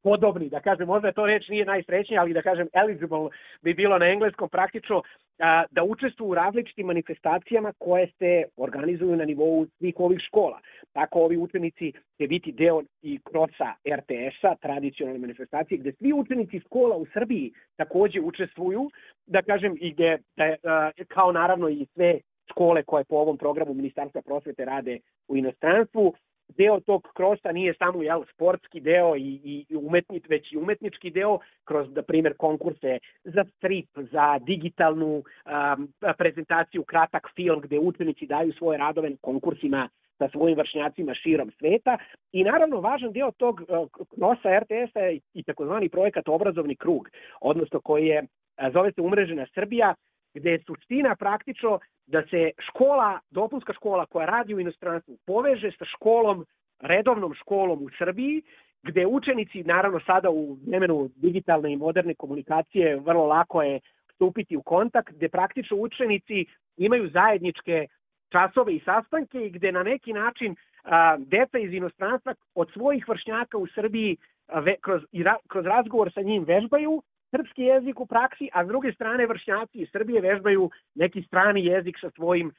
podobni, da kažem, možda to reč nije najsrećnija, ali da kažem eligible bi bilo na engleskom praktično, a, da učestvuju u različitim manifestacijama koje se organizuju na nivou svih ovih škola. Tako ovi učenici će biti deo i krosa er te es-a, tradicionalne manifestacije, gde svi učenici škola u Srbiji takođe učestvuju, da kažem, i gde, da, a, kao naravno i sve škole koje po ovom programu Ministarstva prosvete rade u inostranstvu. Deo tog krosa nije samo jel, sportski deo i, i umetnič, već i umetnički deo kroz, na primjer, konkurse za strip, za digitalnu um, prezentaciju, kratak film gde učenici daju svoje radove na konkursima sa svojim vršnjacima širom sveta. I naravno važan deo tog uh, krosa er te es-a je i takozvani projekat Obrazovni krug, odnosno koji je, zove se Umrežena Srbija, gde je suština praktično da se škola, dopunska škola koja radi u inostranstvu poveže sa školom, redovnom školom u Srbiji, gde učenici, naravno sada u vremenu digitalne i moderne komunikacije, vrlo lako je stupiti u kontakt, gde praktično učenici imaju zajedničke časove i sastanke i gde na neki način a, deca iz inostranstva od svojih vršnjaka u Srbiji a, ve, kroz, i ra, kroz razgovor sa njim vežbaju srpski jezik u praksi, a s druge strane vršnjaci iz Srbije vežbaju neki strani jezik sa svojim,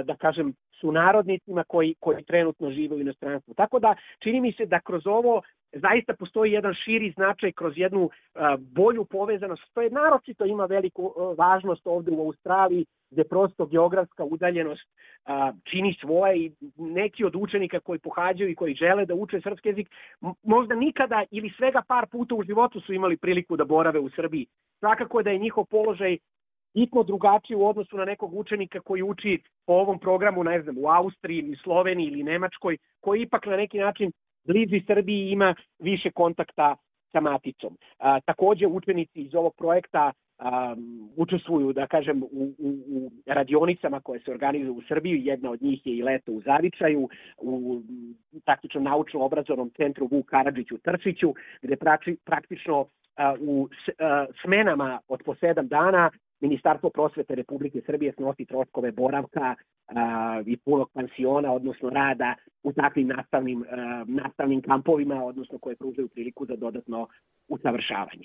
da kažem, sunarodnicima koji, koji trenutno žive u inostranstvu. Tako da čini mi se da kroz ovo zaista postoji jedan širi značaj kroz jednu uh, bolju povezanost, što je naročito ima veliku uh, važnost ovdje u Australiji, gde prosto geografska udaljenost uh, čini svoje i neki od učenika koji pohađaju i koji žele da uče srpski jezik, možda nikada ili svega par puta u životu su imali priliku da borave u Srbiji. Svakako da je njihov položaj bitno drugačiji u odnosu na nekog učenika koji uči po ovom programu, ne znam, u Austriji ili Sloveniji ili Nemačkoj, koji ipak na neki način bliži Srbiji i ima više kontakta sa maticom. A, takođe, učenici iz ovog projekta a, učestvuju, da kažem, u, u, u radionicama koje se organizuju u Srbiji. Jedna od njih je i leto u Zavičaju, u praktično naučno-obrazovnom centru Vuk Karadžić u Trčiću, gde praktično a, u a, smenama od po sedam dana Ministarstvo prosvete Republike Srbije snosi troškove boravka a, i punog pansiona, odnosno rada u takvim nastavnim, a, nastavnim kampovima, odnosno koje pružaju priliku za dodatno usavršavanje.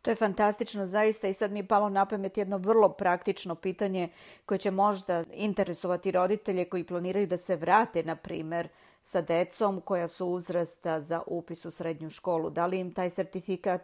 To je fantastično zaista i sad mi je palo na pamet jedno vrlo praktično pitanje koje će možda interesovati roditelje koji planiraju da se vrate, na primer, sa decom koja su uzrasta za upis u srednju školu. Da li im taj sertifikat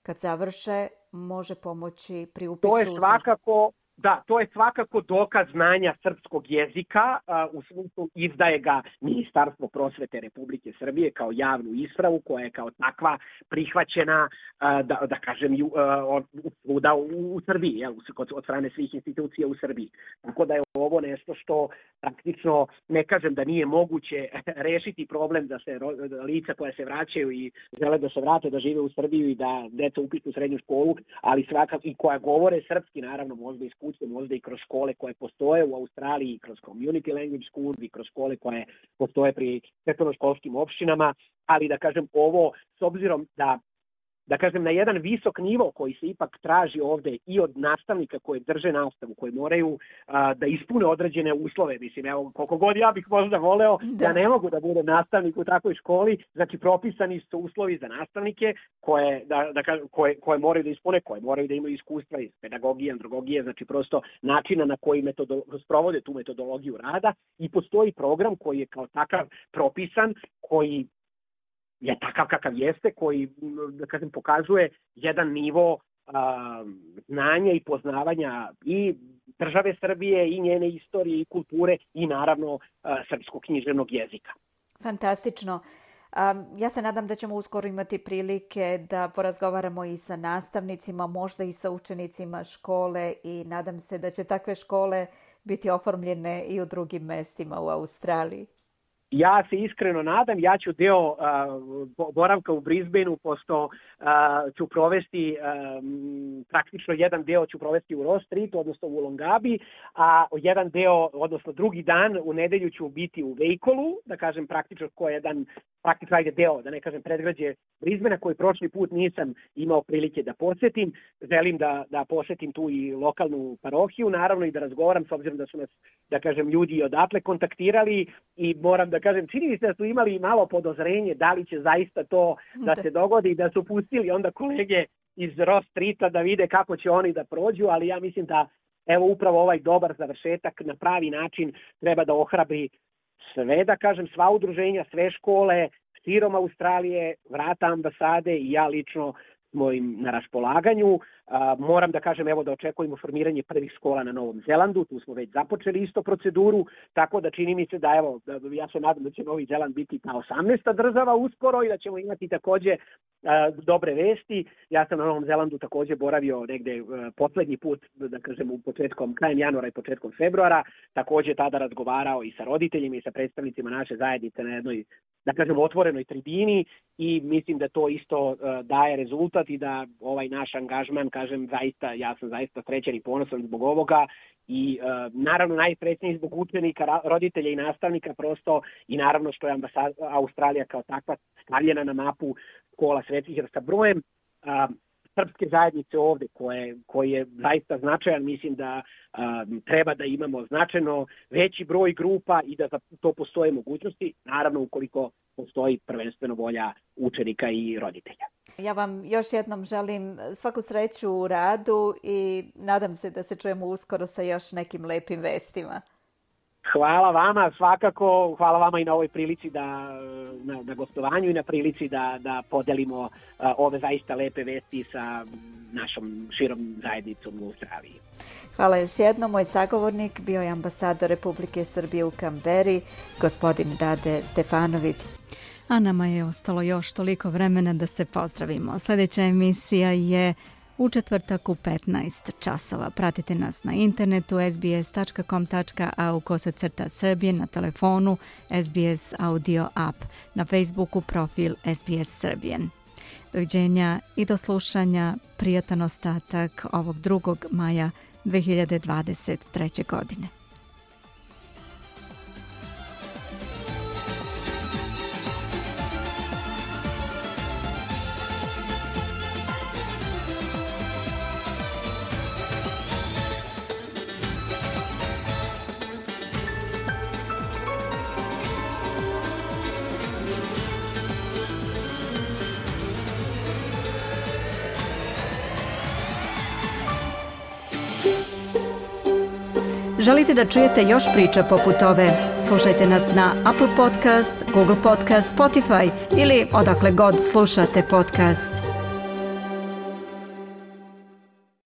kad završe može pomoći pri upisu? To je svakako, da, to je svakako dokaz znanja srpskog jezika, a, u smislu izdaje ga Ministarstvo prosvete Republike Srbije kao javnu ispravu koja je kao takva prihvaćena, a, da, da kažem, ju, a, svuda u, u Srbiji, jel, od, od strane svih institucija u Srbiji. Tako da je ovo nešto što praktično, ne kažem da nije moguće rešiti problem da se lica koja se vraćaju i žele da se vrate, da žive u Srbiju i da deca upišu u srednju školu, ali svakako i koja govore srpski, naravno, možda iz kuće, možda i kroz škole koje postoje u Australiji, kroz community language schools i kroz škole koje postoje pri crkvenoškolskim opštinama, ali da kažem ovo, s obzirom da da kažem, na jedan visok nivo koji se ipak traži ovde i od nastavnika koji drže nastavu, koji moraju a, da ispune određene uslove. Mislim, evo, koliko god ja bih možda voleo da, da ne mogu da budem nastavnik u takvoj školi, znači propisani su uslovi za nastavnike koje, da, da kažem, koje, koje moraju da ispune, koje moraju da imaju iskustva iz pedagogije, androgogije, znači prosto načina na koji metodo, sprovode tu metodologiju rada i postoji program koji je kao takav propisan, koji je takav kakav jeste, koji, da kažem, pokazuje jedan nivo a, znanja i poznavanja i države Srbije i njene istorije i kulture i naravno a, srpskog književnog jezika. Fantastično. A, ja se nadam da ćemo uskoro imati prilike da porazgovaramo i sa nastavnicima, možda i sa učenicima škole i nadam se da će takve škole biti oformljene i u drugim mestima u Australiji. Ja se iskreno nadam, ja ću deo uh, boravka u Brisbaneu, pošto uh, ću provesti, um, praktično jedan deo ću provesti u Ross Street, odnosno u Longabi, a jedan deo, odnosno drugi dan, u nedelju ću biti u Vejkolu, da kažem praktično ko je jedan, praktično ajde deo, da ne kažem predgrađe Brisbanea, koji prošli put nisam imao prilike da posetim. Želim da, da posetim tu i lokalnu parohiju, naravno i da razgovaram, s obzirom da su nas, da kažem, ljudi odatle kontaktirali i moram da kažem, čini mi se da su imali malo podozrenje da li će zaista to da se dogodi i da su pustili onda kolege iz Ross Streeta da vide kako će oni da prođu, ali ja mislim da evo upravo ovaj dobar završetak na pravi način treba da ohrabri sve, da kažem, sva udruženja, sve škole, širom Australije, vrata ambasade i ja lično smo im na raspolaganju. A, moram da kažem evo da očekujemo formiranje prvih škola na Novom Zelandu, tu smo već započeli isto proceduru, tako da čini mi se da evo, da, ja se nadam da će Novi Zeland biti ta osamnaesta država uskoro i da ćemo imati takođe a, dobre vesti. Ja sam na Novom Zelandu takođe boravio negde a, poslednji put, da kažem, u početkom, krajem januara i početkom februara, takođe tada razgovarao i sa roditeljima i sa predstavnicima naše zajednice na jednoj, da kažem, otvorenoj tribini i mislim da to isto uh, daje rezultat i da ovaj naš angažman, kažem, zaista, ja sam zaista srećan i ponosan zbog ovoga i uh, naravno najsrećniji zbog učenika, roditelja i nastavnika prosto i naravno što je ambasada Australija kao takva stavljena na mapu škola svetskih, jer sa brojem uh, srpske zajednice ovde, koje, koji je zaista značajan, mislim da a, treba da imamo značajno veći broj grupa i da za to postoje mogućnosti, naravno ukoliko postoji prvenstveno volja učenika i roditelja. Ja vam još jednom želim svaku sreću u radu i nadam se da se čujemo uskoro sa još nekim lepim vestima. Hvala vama, svakako, hvala vama i na ovoj prilici da, na, na gostovanju i na prilici da, da podelimo uh, ove zaista lepe vesti sa našom širom zajednicom u Australiji. Hvala još jednom. Moj sagovornik bio je ambasador Republike Srbije u Kamberi, gospodin Rade Stefanović. A nama je ostalo još toliko vremena da se pozdravimo. Sljedeća emisija je u četvrtak u petnaest časova. Pratite nas na internetu es be es tačka com tačka a u kosacrta Srbije, na telefonu S B S Audio App, na Facebooku profil S B S Serbian. Doviđenja i do slušanja, prijatan ostatak ovog drugog maja dve hiljade dvadeset treće. godine. Želite da čujete još priča poput ove? Slušajte nas na Apple Podcast, Google Podcast, Spotify ili odakle god slušate podcast.